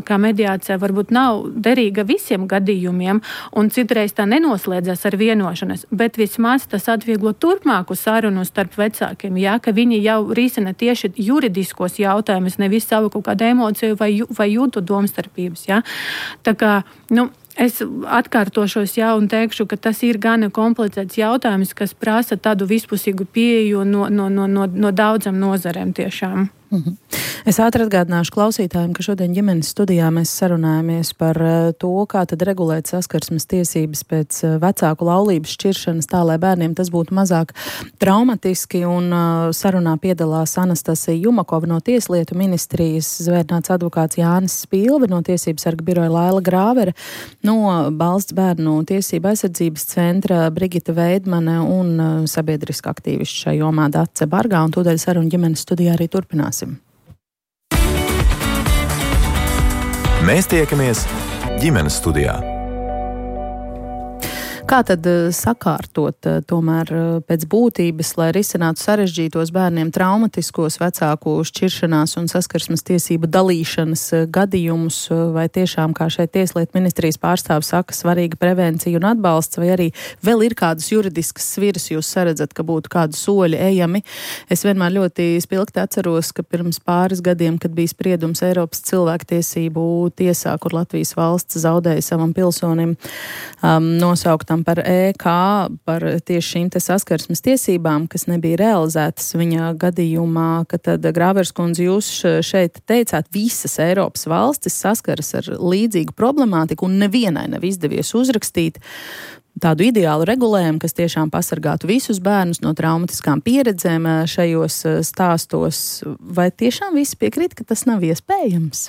kā mediācija varbūt nav derīga visiem gadījumiem, un citreiz tā nenoslēdzas ar vienošanos, bet vismaz tas atvieglo turpmāku sarunu starp vecākiem, jā, ka viņi jau risina tieši juridiskos jautājumus, nevis savu kaut kādu emociju vai jūtu domstarpības, jā. Tā kā, es atkārtošos, jā, un teikšu, ka tas ir gana komplicēts jautājums, kas prasa tādu vispusīgu pieeju no daudzām nozarēm tiešām. Es ātri atgādināšu klausītājiem, ka šodien ģimenes studijā mēs sarunājamies par to, kā tad regulēt saskarsmes tiesības pēc vecāku laulības šķiršanas tā, lai bērniem tas būtu mazāk traumatiski, un sarunā piedalās Anastasija Jumakova no Tieslietu ministrijas, zvērnāts advokāts Jānis Spilve no Tiesības sarga biroja Laila Grāvere, no Valsts bērnu tiesību aizsardzības centra Brigita Veidmane un sabiedriska aktīvišķa šajā jomā Dace Bargā, un tūdaļ sarunu ģimenes studijā arī turpinās. Mēs tiekamies ģimenes studijā. Kā tad sakārtot tomēr pēc būtības, lai risinātu sarežģītos bērniem traumatiskos vecāku šķiršanās un saskarsmes tiesību dalīšanas gadījumus, vai tiešām, kā šeit Tieslietu ministrijas pārstāvis saka, svarīga prevencija un atbalsts, vai arī vēl ir kādas juridiskas sviras jūs saredzat, ka būtu kādi soļi ejami? Es vienmēr ļoti spilgti atceros, ka pirms pāris gadiem, kad bija spriedums Eiropas cilvēktiesību tiesā, kur Latvijas valsts zaudēja savam pilsonim nosauktām par EK, par tieši šīm te saskarsmes tiesībām, kas nebija realizētas viņa gadījumā, ka tad Grāveres kundze jūs šeit teicāt, visas Eiropas valstis saskaras ar līdzīgu problemātiku un nevienai nav izdevies uzrakstīt tādu ideālu regulējumu, kas tiešām pasargātu visus bērnus no traumatiskām pieredzēm šajos stāstos. Vai tiešām visi piekrīt, ka tas nav iespējams?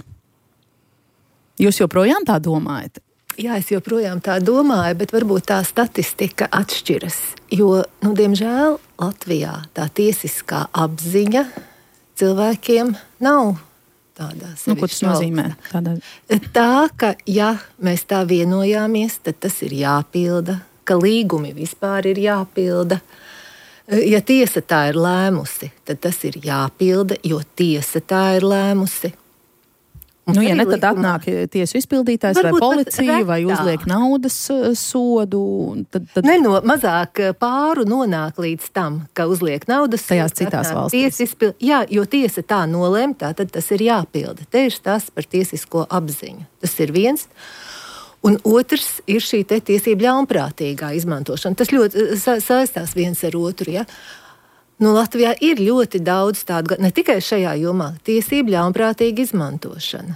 Jūs joprojām tā domājat? Jā, es joprojām tā domāju, bet varbūt tā statistika atšķiras. Jo, diemžēl, Latvijā tā tiesiskā apziņa cilvēkiem nav tādā sevišķi. Ko tas nozīmē? Tā, ka, ja mēs tā vienojāmies, tad tas ir jāpilda, ka līgumi vispār ir jāpilda. Ja tiesa tā ir lēmusi, tad tas ir jāpilda, jo tiesa tā ir lēmusi. Ja ne, tad atnāk tiesu izpildītājs vai policija vai uzliek naudas sodu. Tad... Mazāk pāru nonāk līdz tam, ka uzliek naudas sodu. Tajās citās valstīs. Jā, jo tiesa tā nolēma, tad tas ir jāpilda. Te ir tas par tiesisko apziņu. Tas ir viens. Un otrs ir šī te tiesība ļaunprātīgā izmantošana. Tas ļoti saistās viens ar otru, ja? Latvijā ir ļoti daudz tādu, ne tikai šajā jomā, tiesību ļaunprātīga izmantošana.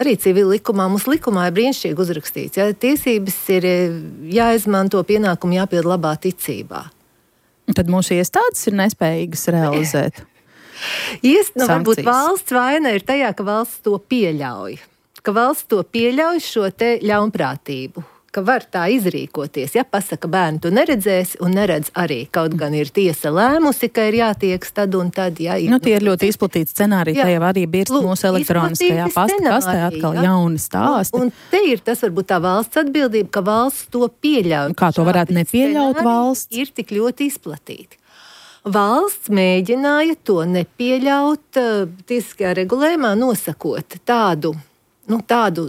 Arī civila likumā, mums likumā ir brīnišķīgi uzrakstīts, ja tiesības ir jāizmanto, pienākumi jāpild labā ticībā. Tad mūsu iestādes ir nespējīgas realizēt. Varbūt valsts vaina ir tajā, ka valsts to pieļauj. ka valsts to pieļauj šo te ļaunprātību, ka var tā izrīkoties. Ja pasaka, bērni to neredzēs un neredz arī. Kaut gan ir tiesa lēmusi, ka ir jātieks tad un tad. Ja, tie ir ļoti izplatīti scenāriji. Te jau arī birst mūsu elektroniskajā pastkastē atkal jauni stāsti. Un te ir tas varbūt tā valsts atbildība, ka valsts to pieļauj. Kā to varētu nepieļaut valsts? Ir tik ļoti izplatīti. Valsts mēģināja to nepieļaut tiesiskajā regulējumā, nosakot tādu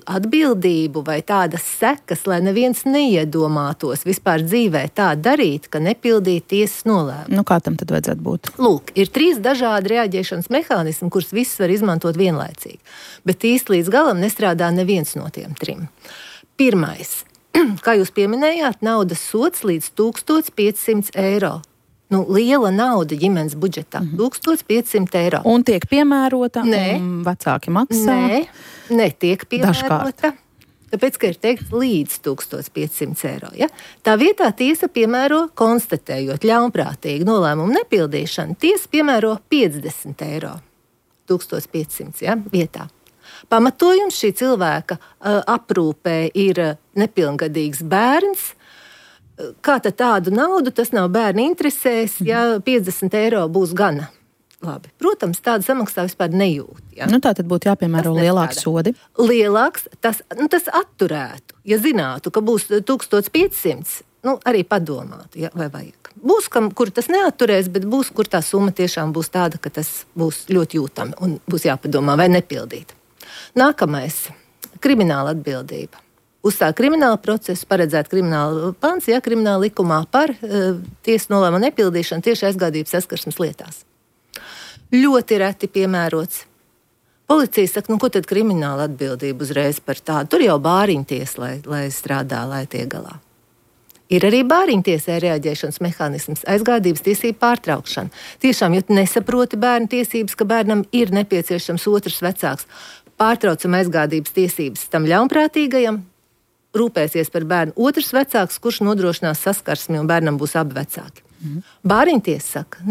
atbildību vai tādas sekas, lai neviens neiedomātos vispār dzīvē tā darīt, ka nepildīt tiesas nolēmumu. Kā tam tad vajadzētu būt? Lūk, ir 3 dažādi reaģēšanas mehānismi, kurus visus var izmantot vienlaicīgi. Bet īsti līdz galam nestrādā neviens no tiem 3. Pirmais, kā jūs pieminējāt, naudas sods līdz 1500 eiro. Liela nauda ģimenes budžetā. 1500 eiro. Un tiek piemērota, un vecāki maksā? Netiek piemērota. Tāpēc, ka ir teikts līdz 1500 eiro. Ja? Tā vietā tiesa piemēro, konstatējot ļaunprātīgu nolēmumu nepildīšanu, tiesa piemēro 50 eiro. 1500 vietā. Pamatojums šī cilvēka aprūpē ir nepilngadīgs bērns. Kā tad tādu naudu, tas nav bērni interesēs, ja 50 eiro būs gana labi. Protams, tādu samaksā vispār nejūt. Ja? Tā tad būtu jāpiemēro lielāks sodi. Lielāks, tas atturētu. Ja zinātu, ka būs 1500, arī padomātu, ja, vai vajag. Būs, kur tas neatturēs, bet būs, kur tā summa tiešām būs tāda, ka tas būs ļoti jūtami un būs jāpadomā vai nepildīt. Nākamais - krimināla atbildība. Uzsāk kriminālu procesu, paredzēt kriminālu pants, krimināla likumā par tiesas nolēmumu nepildīšanu tieši aizgādības saskarsmes lietās. Ļoti reti piemērots. Policija saka, ko tad krimināla atbildība uzreiz par tādu? Tur jau bāriņtiesa, lai strādā, lai tiek galā. Ir arī bāriņtiesē reaģēšanas mehānisms, aizgādības tiesību pārtraukšana. Tiešām, ja nesaproti bērnu tiesības, ka bērnam ir nepieciešams otrs vecāks, pārtraucam aizgādības tiesības tam ļaunprātīgajam, rūpēsies par bērnu otrs vecāks, kurš nodrošinās saskarsmi un bērnam būs abi vecāki. Bāriņtiesa saka,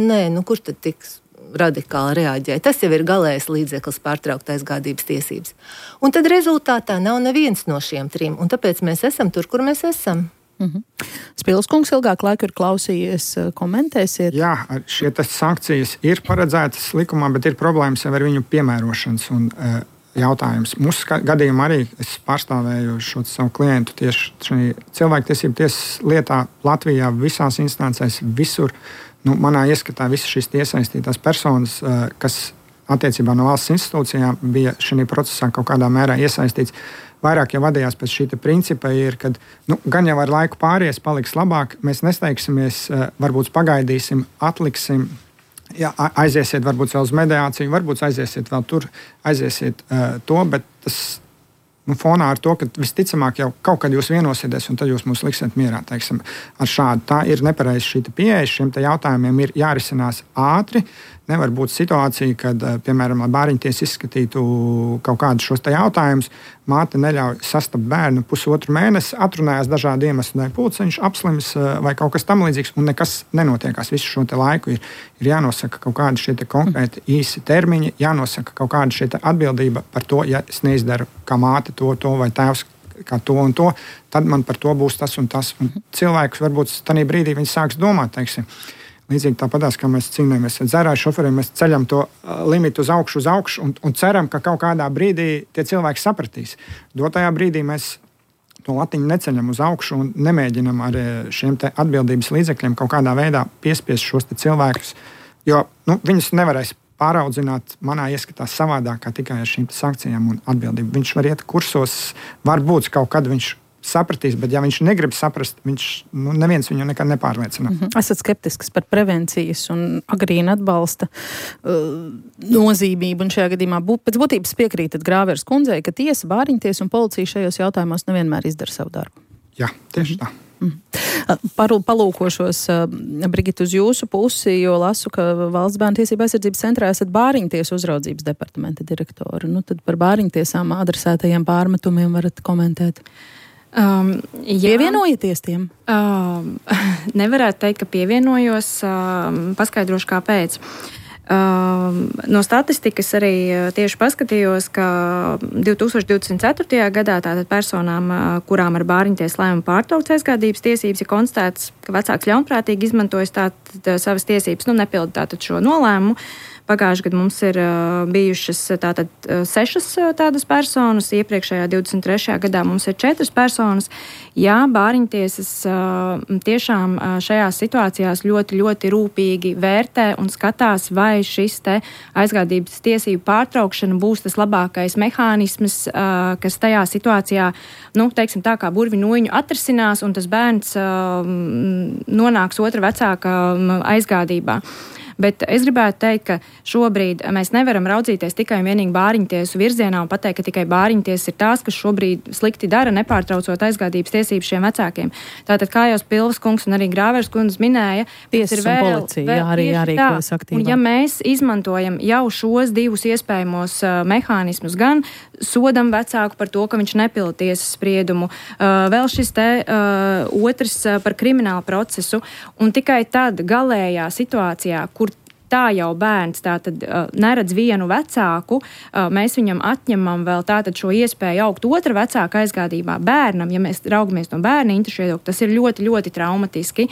kurš tad tiks radikāli reaģē? Tas jau ir galējs līdzeklis pārtraukt aizgādības tiesības. Un tad rezultātā nav neviens no šiem 3, un tāpēc mēs esam tur, kur mēs esam. Spils kungs ilgāk laiku ir klausījies, komentēsiet. Jā, šie sankcijas ir paredzētas likumā, bet ir problēmas jau ar viņu piemērošanas un jautājums. Mūsu gadījumā arī es pārstāvēju šo savu klientu tieši šajā cilvēktiesību tiesas lietā Latvijā visās instancēs, visur. Manā ieskatā visas šīs iesaistītās personas, kas attiecībā no valsts institūcijām bija šajā procesā kaut kādā mērā iesaistīts, vairāk jau vadījās pēc šī principa, ir, kad gan jau ar laiku pāries, paliks labāk, mēs nesteigsimies, varbūt pagaidīsim, atliksim. Jā, aiziesiet varbūt vēl uz mediāciju, varbūt aiziesiet vēl tur, aiziesiet to, bet tas fonā ar to, ka visticamāk jau kaut kad jūs vienosieties un tad jūs mūs liksiet mierā, teiksim, ar šādu. Tā ir nepareiza šī pieeja, šiem jautājumiem ir jārisinās ātri. Nevar būt situācija, kad, piemēram, lai bāriņtiesa izskatītu kaut kādus šos jautājumus, māte neļauj sastapt bērnu 1,5 mēnesi, atrunājās dažādu iemeslu dēļ, pulciņš, apslims vai kaut kas tam līdzīgs, un nekas nenotiekās. Visu šo laiku ir jānosaka kaut kādi šie konkrēti īsi termiņi, jānosaka kaut kāda šie atbildība par to, ja es neizdaru kā māte to vai tēvs kā to un to, tad man par to būs tas un tas. Un cilvēks varbūt tajā brīdī viņi sāks domāt, teiksim. Līdzīgi tāpatās, kā mēs cīnāmies ar dzērāju šoferiem, mēs ceļam to limitu uz augšu un ceram, ka kaut kādā brīdī tie cilvēki sapratīs. Dotajā brīdī mēs to latiņu neceļam uz augšu un nemēģinam ar šiem atbildības līdzekļiem kaut kādā veidā piespiest šos cilvēkus, jo viņus nevarēs pāraudzināt manā ieskatā savādāk kā tikai ar šīm sankcijām un atbildību. Viņš var iet kursos, varbūt kaut kad viņš sapratīs, bet ja viņš negrib saprast, neviens viņu nekad nepārliecina. Esat skeptisks par prevencijas un agrīna atbalsta nozīmību, un šajā gadījumā pēc būtības piekrītat Grāveres kundzei, ka tiesa, bāriņtiesa un policija šajos jautājumos nevienmēr izdara savu darbu. Jā, tieši tā. Palūkošos, Brigita, uz jūsu pusi, jo lasu, ka Valsts bērnu tiesību aizsardzības centrā esat bāriņtiesu uzraudzības departamenta direktori. Tad par bāriņtiesām adresētajiem pārmetumiem varat komentēt. Pievienojieties tiem? Nevarētu teikt, ka pievienojos. Paskaidrošu, kāpēc. No statistikas arī tieši paskatījos, ka 2024. gadā tātad personām, kurām ar bāriņtiesas lēmumu pārtraukts aizgādības tiesības, ir konstatēts, ka vecāks ļaunprātīgi izmantojas tātad savas tiesības, nepilda tātad šo nolēmumu. Pagājušajā gadā mums ir bijušas tātad 6 tādas personas, iepriekšējā 23. gadā mums ir 4 personas. Jā, bāriņtiesas tiešām šajās situācijās ļoti, ļoti rūpīgi vērtē un skatās, vai šis te aizgādības tiesību pārtraukšana būs tas labākais mehānisms, kas tajā situācijā, teiksim tā kā burviņoņu atrisinās un tas bērns nonāks otra vecāka aizgādībā. Bet es gribētu teikt, ka šobrīd mēs nevaram raudzīties tikai un vienīgi bāriņtiesu virzienā un pateikt, ka tikai bāriņtiesas ir tās, kas šobrīd slikti dara, nepārtraucot aizgādības tiesības šiem vecākiem. Tātad, kā jau Pilvas kungs un arī Grāvers kundze minēja, tiesas un policija arī jārīkojas aktīvāk. Un ja mēs izmantojam jau šos divus iespējamos mehānismus, gan sodam vecāku par to, ka viņš nepilda tiesas spriedumu, vēl šis te otrs par kriminālu procesu, un tikai tad galējā situācijā, kur tā jau bērns tātad neredz vienu vecāku, mēs viņam atņemam vēl tātad šo iespēju augt otra vecāka aizgādībā bērnam, ja mēs raugamies no bērna interešu viedokļa, tas ir ļoti, ļoti traumatiski.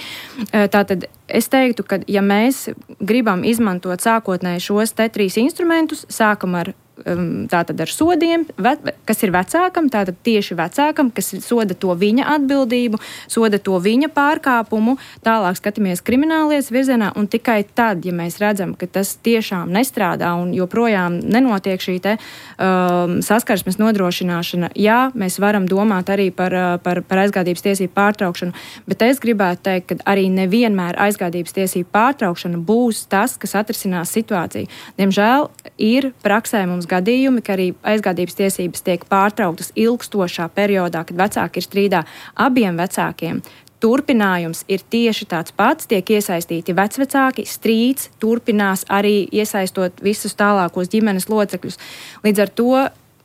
Tātad es teiktu, ka ja mēs gribam izmantot sākotnēji šos te 3 instrumentus, sākam ar tātad ar sodiem, kas ir vecākam, tātad tieši vecākam, kas soda to viņa atbildību, soda to viņa pārkāpumu, tālāk skatāmies kriminālietas virzienā, un tikai tad, ja mēs redzam, ka tas tiešām nestrādā un joprojām nenotiek šī te saskarsmes nodrošināšana, jā, mēs varam domāt arī par aizgādības tiesību pārtraukšanu, bet es gribētu teikt, ka arī nevienmēr aizgādības tiesību pārtraukšana būs tas, kas atrisinās situāciju. Diemžēl ir praksē mums gadījumi, ka arī aizgādības tiesības tiek pārtrauktas ilgstošā periodā, kad vecāki ir strīdā abiem vecākiem. Turpinājums ir tieši tāds pats, tiek iesaistīti vecvecāki, strīds turpinās arī iesaistot visus tālākos ģimenes locekļus. Līdz ar to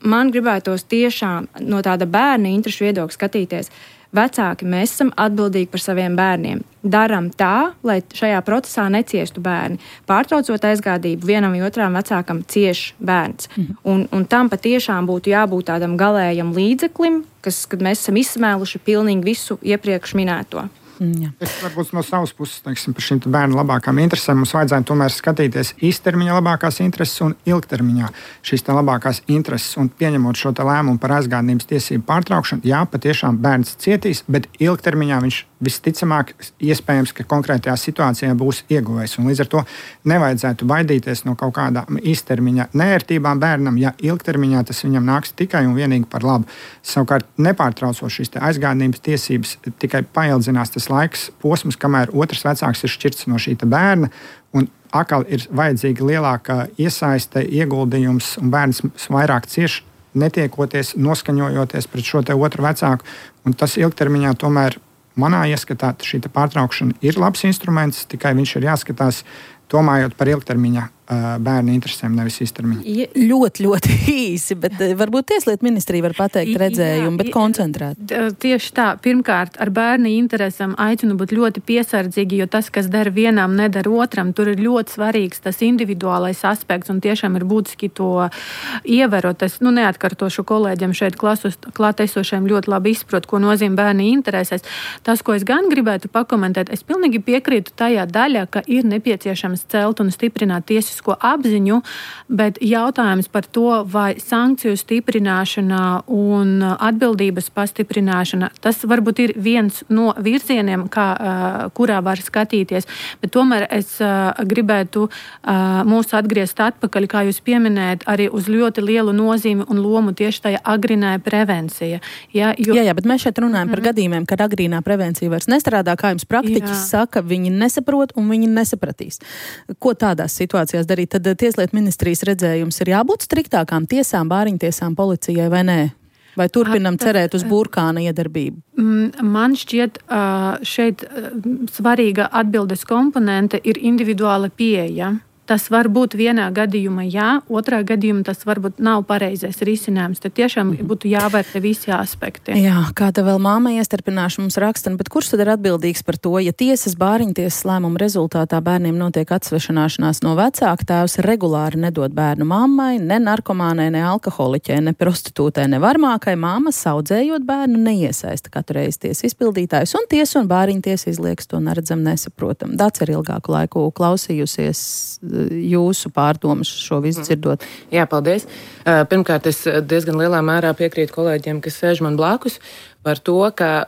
man gribētos tiešām no tāda bērna interešu viedokļa skatīties. Vecāki, mēs esam atbildīgi par saviem bērniem. Daram tā, lai šajā procesā neciestu bērni. Pārtraucot aizgādību, vienam vai otram vecākam cieš bērns. Un tam patiešām būtu jābūt tādam galējam līdzeklim, kad mēs esam izsmēluši pilnīgi visu iepriekš minēto. Jā. Es varbūt no savas puses, teiksim, par šīm bērnu labākām interesēm mums vajadzētu tomēr skatīties īstermiņa labākās intereses un ilgtermiņā šīs labākās intereses. Un pieņemot šo lēmumu par aizgādības tiesību pārtraukšanu, jā, patiešām bērns cietīs, bet ilgtermiņā viņš visticamāk iespējams, ka konkrētajā situācijā būs ieguvējis. Un līdz ar to nevajadzētu baidīties no kaut kādām īstermiņa neērtībām bērnam, ja ilgtermiņā tas viņam nāks tikai un vienīgi par labu. Savukārt nepārtraucot šīs aizgādības tiesības, tikai paildzinās tas laiks posms, kamēr otrs vecāks ir šķirts no šī bērna, un atkal ir vajadzīga lielāka iesaiste, ieguldījums, un bērns vairāk cieš, netiekoties, noskaņojoties pret šo otru vecāku, un tas ilgtermiņā tomēr manā ieskatā šī pārtraukšana ir labs instruments, tikai viņš ir jāskatās domājot par ilgtermiņa bērnu interesēm, nevis īstermiņa. Ļoti, ļoti īsi, bet varbūt Tieslietu ministrija var pateikt redzējumu, bet koncentrēt. Tieši tā. Pirmkārt, ar bērnu interesam aicinu būt ļoti piesardzīgi, jo tas, kas dara vienam, nedara otram, tur ir ļoti svarīgs tas individuālais aspekts un tiešām ir būtiski to ievērot. Es neatkartošu kolēģiem šeit klātesošiem ļoti labi izprot, ko nozīmē bērnu interesēs. Tas, ko es gan gribētu pakomentēt, es pilnīgi piekrītu tajā daļā, ka ir nepieciešams celt un stiprināt tiesiskumu apziņu, bet jautājums par to, vai sankciju stiprināšana un atbildības pastiprināšana, tas varbūt ir viens no virzieniem, kurā var skatīties, bet tomēr es gribētu mūs atgriezt atpakaļ, kā jūs pieminējat, arī uz ļoti lielu nozīmi un lomu tieši tajā agrīnā prevencija. Jā, bet mēs šeit runājam par gadījumiem, kad agrīnā prevencija vairs nestrādā, kā jums praktiķis saka, viņi nesaprot un viņi nesapratīs. Ko tādās situācijās darīt? Tad Tieslietu ministrijas redzējums ir jābūt striktākām tiesām, bāriņtiesām, policijai vai nē? Vai turpinam cerēt uz burkāna iedarbību? Man šķiet, šeit svarīga atbildes komponente ir individuāla pieeja. tas var būt vienā gadījumā jā, otrā gadījumā tas varbūt nav pareizais risinājums. Tad tiešām būtu jāvērtē visi aspekti. Jā, kāda vēl māma iestarpināša mums raksta, bet kurš tad ir atbildīgs par to, ja tiesas bāriņtiesas lēmuma rezultātā bērniem notiek atsvešanāšanās no vecāka, tēvs regulāri nedod bērnu mammai, ne narkomānai, ne alkoholiķei, ne prostitūtei, ne varmākai, māma saudzējot bērnu neiesaista katru reizi tiesas izpildītājus, un tiesa un bāriņtiesa izlieks to neredzam, nesaprotam. Dāc ir ilgāku laiku klausījusies jūsu pārdomas šo visu dzirdot. Jā, paldies. Pirmkārt, es diezgan lielā mērā piekrītu kolēģiem, kas sēž man blakus, par to, ka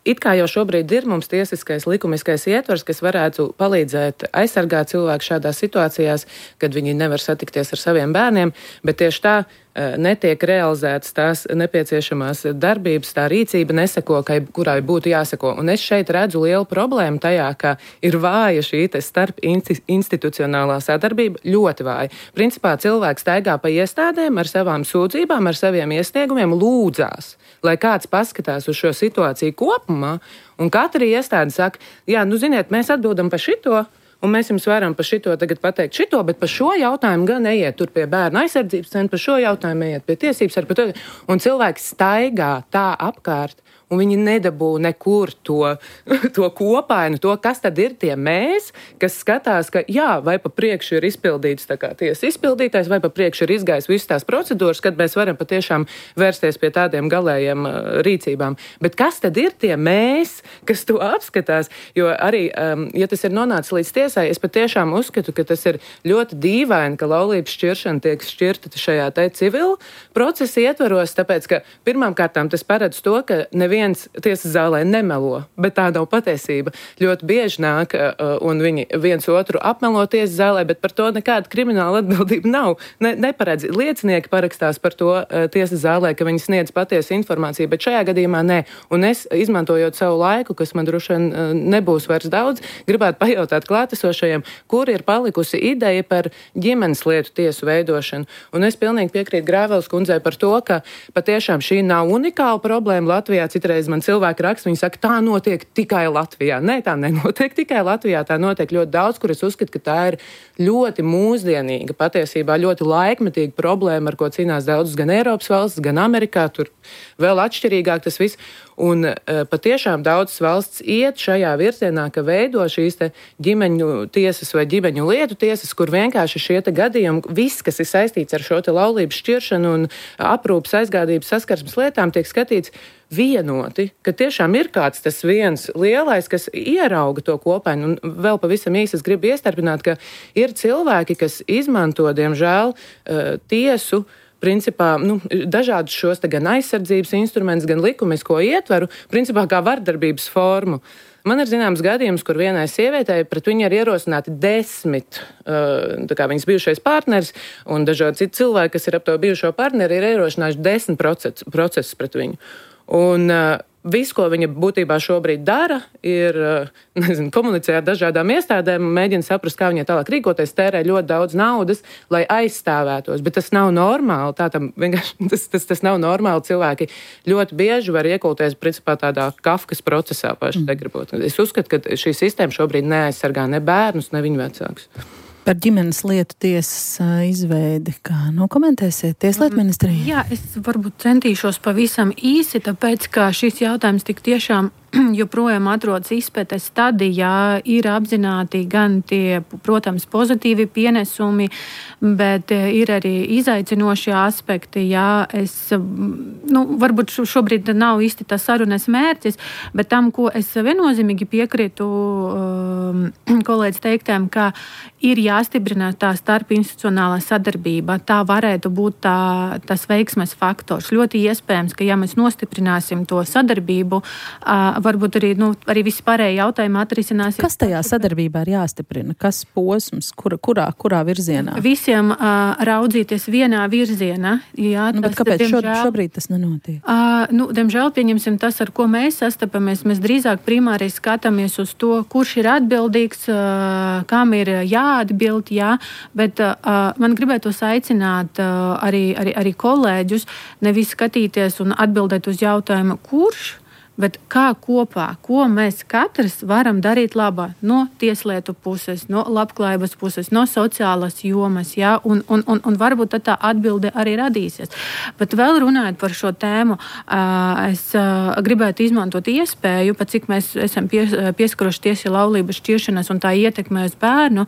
it kā jau šobrīd ir mums tiesiskais, likumiskais ietvers, kas varētu palīdzēt aizsargāt cilvēku šādās situācijās, kad viņi nevar satikties ar saviem bērniem, bet tieši tā netiek realizētas tās nepieciešamās darbības, tā rīcība neseko, kurai būtu jāseko. Un es šeit redzu lielu problēmu tajā, ka ir vāja šī starp institucionālā sadarbība, ļoti vāja. Principā cilvēks staigā pa iestādēm ar savām sūdzībām, ar saviem iesniegumiem, lūdzās, lai kāds paskatās uz šo situāciju kopumā, un katra iestāde saka, jā, ziniet, mēs atbildam par šito, un mēs jums varam par šito tagad pateikt šito, bet par šo jautājumu gan ejiet tur pie bērnu aizsardzības centra, par šo jautājumu ejiet pie tiesības, un cilvēks staigā tā apkārt, un viņi nedabū nekur to kopainu, to, kas tad ir tie mēs, kas skatās, ka jā, vai pa priekšu ir izpildīts tā kā tiesa izpildītājs, vai pa priekšu ir izgājis visas tās procedūras, kad mēs varam patiešām vērsties pie tādiem galējiem rīcībām. Bet kas tad ir tie mēs, kas to apskatās? Jo arī, ja tas ir nonācis līdz tiesai, es patiešām uzskatu, ka tas ir ļoti dīvaini, ka laulības šķiršana tiek šķirta šajā civil procesa ietvaros, tāpēc, ka pirmām kārtām tas paredz to, ka neviens tiesas zālē nemelo, bet tā nav patiesība. Ļoti bieži nāk un viņi viens otru apmelo tiesas zālē, bet par to nekāda krimināla atbildība nav. Neparedz. Liecinieki parakstās par to tiesas zālē, ka viņi sniedz patiesu informāciju, bet šajā gadījumā nē. Un es, izmantojot savu laiku, kas man droši vien nebūs vairs daudz, gribētu pajautāt klātesošajiem, kur ir palikusi ideja par ģimenes lietu tiesu veidošanu. Un es pilnīgi piekrītu Grāveles kundzei par to, ka patiešām šī nav unikāla problēma Latvijā. Citreiz man cilvēki raksta, viņi saka, tā notiek tikai Latvijā. Nē, tā nenotiek tikai Latvijā, tā notiek ļoti daudz, kur es uzskatu, ka tā ir ļoti mūsdienīga, patiesībā ļoti laikmetīga problēma, ar ko cīnās daudzas gan Eiropas valstis, gan Amerikā, tur vēl atšķirīgāk tas viss. Un patiešām daudzas valsts iet šajā virzienā, ka veido šīs ģimeņu tiesas vai ģimeņu lietu tiesas, kur vienkārši šie gadījumi, viss, kas ir saistīts ar šo laulības šķiršanu un aprūpas aizgādības saskarsmes lietām, tiek skatīts vienoti, ka tiešām ir kāds tas viens lielais, kas ierauga to kopainu. Un vēl pavisam īsi es gribu iestarpināt, ka ir cilvēki, kas izmanto, diemžēl, tiesu, principā, dažādus šos gan aizsardzības instrumentus, gan likumisko ietveru, principā kā vardarbības formu. Man ir zināms gadījums, kur vienai sievietei pret viņu ir ierosināti 10, viņas bijušais partneris, un dažādi citi cilvēki, kas ir ap to bijušo partneri, ir ierosinājuši 10 procesus pret viņu. Un viss, ko viņa būtībā šobrīd dara, ir komunicē ar dažādām iestādēm, mēģina saprast, kā viņai tālāk rīkoties, tērē ļoti daudz naudas, lai aizstāvētos. Bet tas nav normāli. Tas nav normāli. Cilvēki ļoti bieži var iekulties principā tādā Kafkas procesā paši negribot. Es uzskatu, ka šī sistēma šobrīd neaizsargā ne bērnus, ne viņu vecākus. Par ģimenes lietu tiesas izveidi, kā komentēsiet Tieslietu ministrija? Jā, es varbūt centīšos pavisam īsi, tāpēc, ka šis jautājums tik tiešām joprojām atrodas izpētes stadijā, ir apzināti gan tie, protams, pozitīvi pienesumi, bet ir arī izaicinošie aspekti. Jā, varbūt šobrīd nav īsti tas sarunas mērķis, bet tam, ko es viennozīmīgi piekrītu kolēģis teiktēm, ka ir jāstiprina tā starpinstitucionālā sadarbība. Tā varētu būt tas veiksmes faktors. Ļoti iespējams, ka ja mēs nostiprināsim to sadarbību, varbūt arī visi pārējie jautājumi atrisināsies. Kas tajā sadarbībā ir jāstiprina? Kas posms? Kurā virzienā? Visiem raudzīties vienā virzienā. Jā, bet kāpēc šobrīd tas nenotiek? Diemžēl, pieņemsim tas, ar ko mēs sastapamies. Mēs drīzāk primāri skatāmies uz to, kurš ir atbildīgs, kam ir jāatbild, jā. Bet man gribētos aicināt arī kolēģus nevis skatīties un atbildēt uz jautājumu, kurš, bet kā kopā, ko mēs katrs varam darīt labā no tieslietu puses, no labklājības puses, no sociālas jomas, jā, un varbūt tā atbilde arī radīsies. Bet vēl runājot par šo tēmu, es gribētu izmantot iespēju, pat cik mēs esam pieskaruši tiesas laulības šķiršanas un tā ietekmē uz bērnu,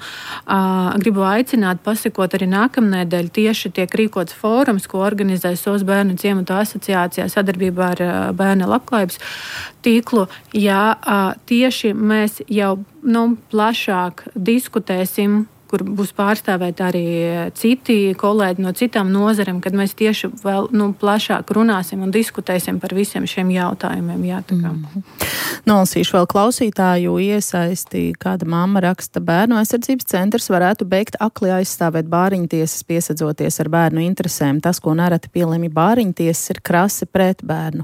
gribu aicināt pasakot arī nākamnedēļ tieši tiek rīkots fórums, ko organizē SOS bērnu ciematu asociācijā sadarbībā ar bērnu labklājības tīklu. Jā, tieši mēs jau plašāk diskutēsim, kur būs pārstāvēti arī citi kolēģi no citām nozarēm, kad mēs tieši vēl plašāk runāsim un diskutēsim par visiem šiem jautājumiem. Jā, Nolasīšu vēl klausītāju iesaisti. Kāda mamma raksta, Bērnu aizsardzības centrs varētu beigt akli aizstāvēt bāriņtiesas, piesadzoties ar bērnu interesēm. Tas, ko nereti pielemj bāriņtiesas, ir krasi pret bērnu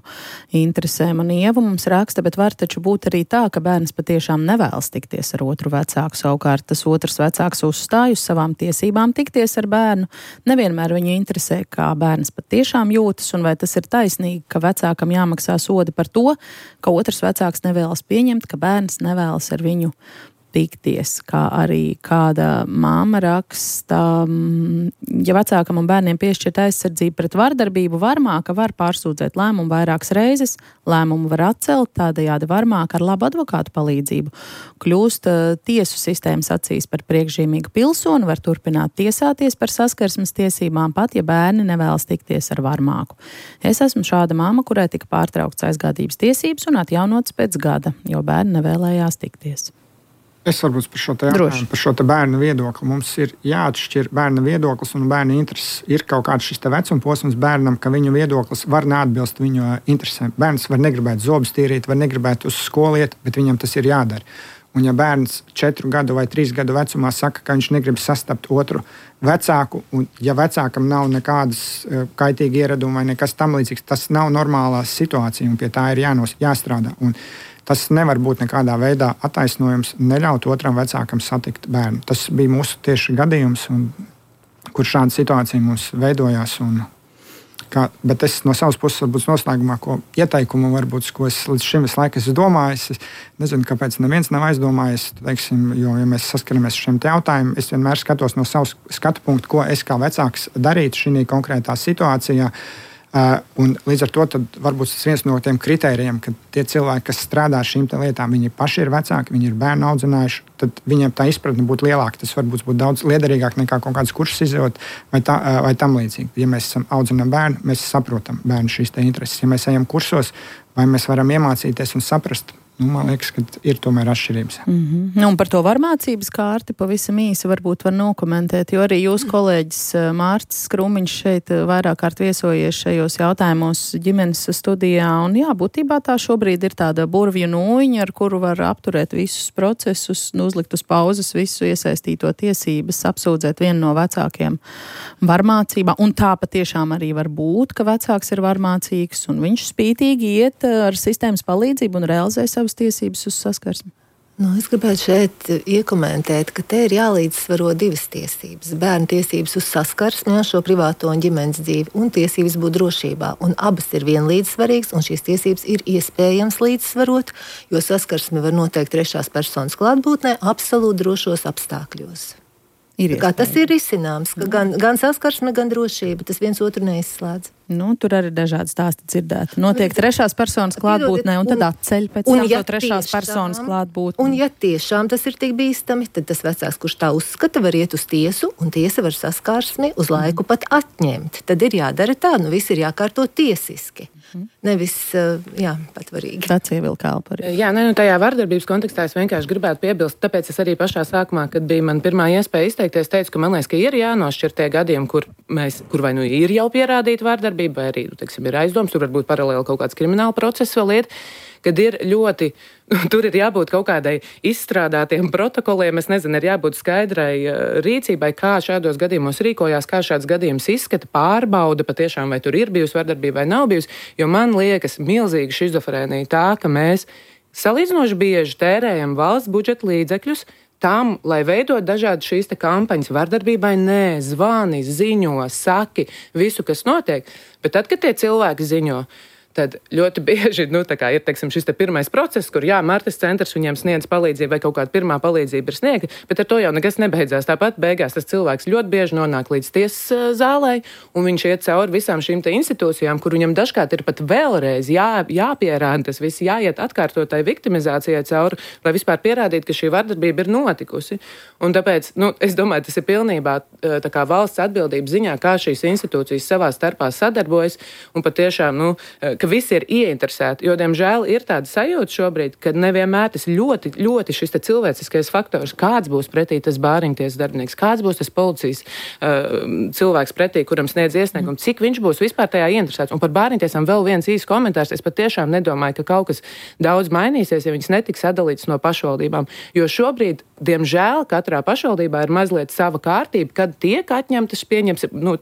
interesēm. Un Ieva mums raksta, bet var taču būt arī tā, ka bērns patiešām nevēlas tikties ar otru vecāku. Savukārt tas otrs vecāks uzstāj uz savām tiesībām tikties ar bērnu. Nevienmēr viņu interesē, kā bērns patiešām jūtas, un vai tas ir taisnīgi, ka vecākam jāmaksā sodi par to, ka otrs vecāks nevēlas pieņemt, ka bērns nevēlas ar viņu tikties, kā arī kāda māma raksta, ja vecākam un bērniem piešķirt aizsardzību pret vardarbību, varmāka var pārsūdzēt lēmumu vairākas reizes, lēmumu var atcelt, tādējādi varmāka ar labu advokātu palīdzību kļūst tiesu sistēmas acīs par priekšzīmīgu pilsoni, var turpināt tiesāties par saskarsmes tiesībām, pat ja bērni nevēlas tikties ar varmāku. Es esmu šāda māma, kurai tika pārtraukts aizgādības tiesības un atjaunots pēc gada, jo bērni nevēlējās tikties. Es varbūt par šo jautājumu, par šo bērnu viedokli. Mums ir jāatšķir bērna viedoklis un bērna intereses. Ir kaut kāds šis vecuma posms bērnam, ka viņu viedoklis var neatbilst viņu interesēm. Bērns var negribēt zobus tīrīt, var negribēt uz skolu iet, bet viņam tas ir jādara. Un ja bērns 4 gadu vai 3 gadu vecumā saka, ka viņš negrib sastapt otru vecāku, un ja vecākam nav nekādas kaitīgi ieradumi vai nekas tam līdzīgs, tas nav normālā situācija, un pie tā ir jāstrādā. Un tas nevar būt nekādā veidā attaisnojums neļaut otram vecākam satikt bērnu. Tas bija mūsu tieši gadījums, kur šāda situācija mums veidojās. Bet es no savas puses varbūt noslēgumā ieteikumu, varbūt, ko es līdz šim visu laiku esmu domājis. Es nezinu, kāpēc neviens nav aizdomājis, teiksim, jo, ja mēs saskaramies ar šiem jautājumiem, es vienmēr skatos no savas skatu punktu, ko es kā vecāks darītu šī konkrētā situācijā. Un līdz ar to varbūt tas viens no tiem kritērijiem, ka tie cilvēki, kas strādā šīm lietām, viņi paši ir vecāki, viņi ir bērnu audzinājuši, tad viņiem tā izpratne būtu lielāka. Tas varbūt būtu daudz liederīgāk nekā kaut kādas kursus izjūt vai tam līdzīgi. Ja mēs audzinām bērnu, mēs saprotam bērnu šīs intereses. Ja mēs ejam kursos, vai mēs varam iemācīties un saprast, man liekas, ka ir tomēr atšķirības. Un par to varmācības kārti pavisam īsi varbūt var nokomentēt, jo arī jūs kolēģis Mārcis Krūmiņš šeit vairāk kārt viesojies šajos jautājumos ģimenes studijā. Un jā, būtībā tā šobrīd ir tāda burvju nūjiņa, ar kuru var apturēt visus procesus, uzlikt uz pauzes visu iesaistīto tiesības, apsūdzēt vienu no vecākiem varmācībā. Un tā patiešām arī var būt, ka vecāks ir varmācīgs un viņš spītīgi iet ar sistēmas palīdzību un realizē savas tiesības uz saskarsmi. Es gribētu šeit iekomentēt, ka te ir jālīdzsvaro 2 tiesības. Bērnu tiesības uz saskarsmi ar šo privāto un ģimenes dzīvi un tiesības būt drošībā. Un abas ir vienlīdz svarīgas, un šīs tiesības ir iespējams līdzsvarot, jo saskarsmi var noteikt 3. personas klātbūtnē absolūti drošos apstākļos. Tas ir risināms, ka gan saskarsme, gan drošība, tas viens otru neizslēdz. Tur arī dažādi stāsti dzirdēti. Notiek 3. personas klātbūtnē un tad atceļ pēc tam to 3. personas klātbūtni. Un ja tiešām tas ir tik bīstami, tad tas vecāks, kurš tā uzskata, var iet uz tiesu, un tiesa var saskarsmi uz laiku pat atņemt. Tad ir jādara tā, viss ir jākārto tiesiski. Nevis, patvarīgi. Tāds ievilka elpa arī. Jā, tajā vardarbības kontekstā es vienkārši gribētu piebilst, tāpēc es arī pašā sākumā, kad bija man pirmā iespēja izteikties, teicu, ka man liekas, ka ir jānošķir tie gadījumi, kur vai ir jau pierādīta vardarbība, vai arī, ir aizdoms, tur varbūt paralēli kaut kāds krimināla process vēl iet, kad ir ļoti, tur ir jābūt kaut kādai izstrādātiem protokoliem, es nezinu, ir jābūt skaidrai rīcībai, kā šādos gadījumos rīkojās, kā šāds gadījums izskata, pārbauda patiešām, vai tur ir bijusi vardarbība vai nav bijusi, jo man liekas milzīga šizofrēnija tā, ka mēs salīdzinoši bieži tērējam valsts budžeta līdzekļus tam, lai veidot dažādas šīs kampaņas vardarbībai, zvani, ziņo, saki, visu, kas notiek, bet tad, kad tie cilvēki ziņo, tad ļoti bieži ir šis pirmais process, kur Martas centrs viņiem sniedz palīdzību vai kaut kāda pirmā palīdzība ir sniegta, bet ar to jau nekas nebeidzās. Tāpat beigās tas cilvēks ļoti bieži nonāk līdz tiesas zālē, un viņš iet cauri visām šīm institūcijām, kur viņam dažkārt ir pat vēlreiz jāpierāda tas viss, jāiet atkārtotai viktimizācijai cauri, lai vispār pierādītu, ka šī vardarbība ir notikusi. Un tāpēc, es domāju, tas ir pilnībā valsts atbildības ziņā, kā šīs institūcijas savā starpā sadarbojas, un patiešām, ka visi ir ieinteresēti, jo, diemžēl, ir tāda sajūta šobrīd, ka nevienmēr tas ļoti, ļoti šis cilvēciskais faktors, kāds būs pretī tas bāriņtiesas darbinieks, kāds būs tas policijas cilvēks pretī, kuram sniedz iesniegumu, cik viņš būs vispār tajā ieinteresēts. Un par bāriņtiesām vēl viens īsts komentārs. Es patiešām nedomāju, ka kaut kas daudz mainīsies, ja viņas netiks sadalītas no pašvaldībām, jo šobrīd, diemžēl, katrā pašvaldībā ir mazliet sava kārtība, kad tiek atņemtas,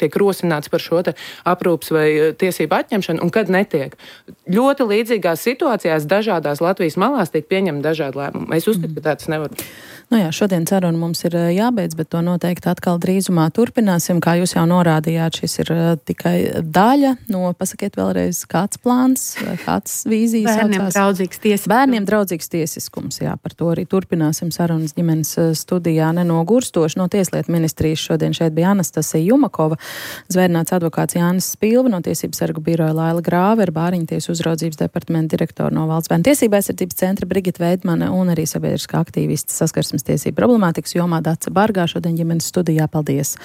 tiek rosināts par šo aprūpas vai tiesību atņemšanu, un kad netiek. Ļoti līdzīgās situācijās dažādās Latvijas malās tiek pieņemti dažādi lēmumi. Es uzskatu, ka tāds nevar būt. Šodien saruna mums ir jābeidz, bet to noteikti atkal drīzumā turpināsim. Kā jūs jau norādījāt, šis ir tikai daļa no, pasakiet vēlreiz, kāds plāns, kāds vīzijas. Bērniem draudzīgs tiesiskums. Jā, par to arī turpināsim sarunas ģimenes studijā nenogurstoši. No Tieslietu ministrijas šodien šeit bija Anastasija Jumakova, zvērnāts advokāts Jānis Spilva, no Tiesību sargu biroja Laila Grāvera, Bāriņtiesu uzraudzības departamenta direktora no Valsts bērnu tiesību aizsardzības centra Brigita Veidmane un arī sabiedriskā aktīvista Saskarsmes tiesību problemātikas jomā Dace Bargā šodien ģimenes studijā. Paldies!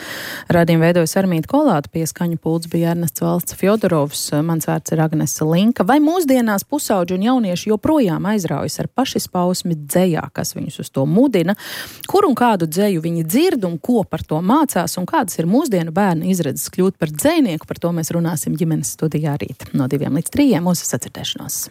Radījumu veidojas Armīta Kolāta, pie skaņu pults bija Ernests Valsts Fjodorovs, mans vārds ir Agnese Linka. Vai mūsdienās pusauģi un jaunieši joprojām aizraujas ar pašizpausmi dzejā, kas viņus uz to mudina? Kur un kādu dzeju viņi dzird un ko par to mācās un kādas ir mūsdienu bērnu izredzes kļūt par dzejnieku? Par to mēs runāsim ģimenes studijā rīt no 2 līdz 3. Mūsu sacirdēšanos!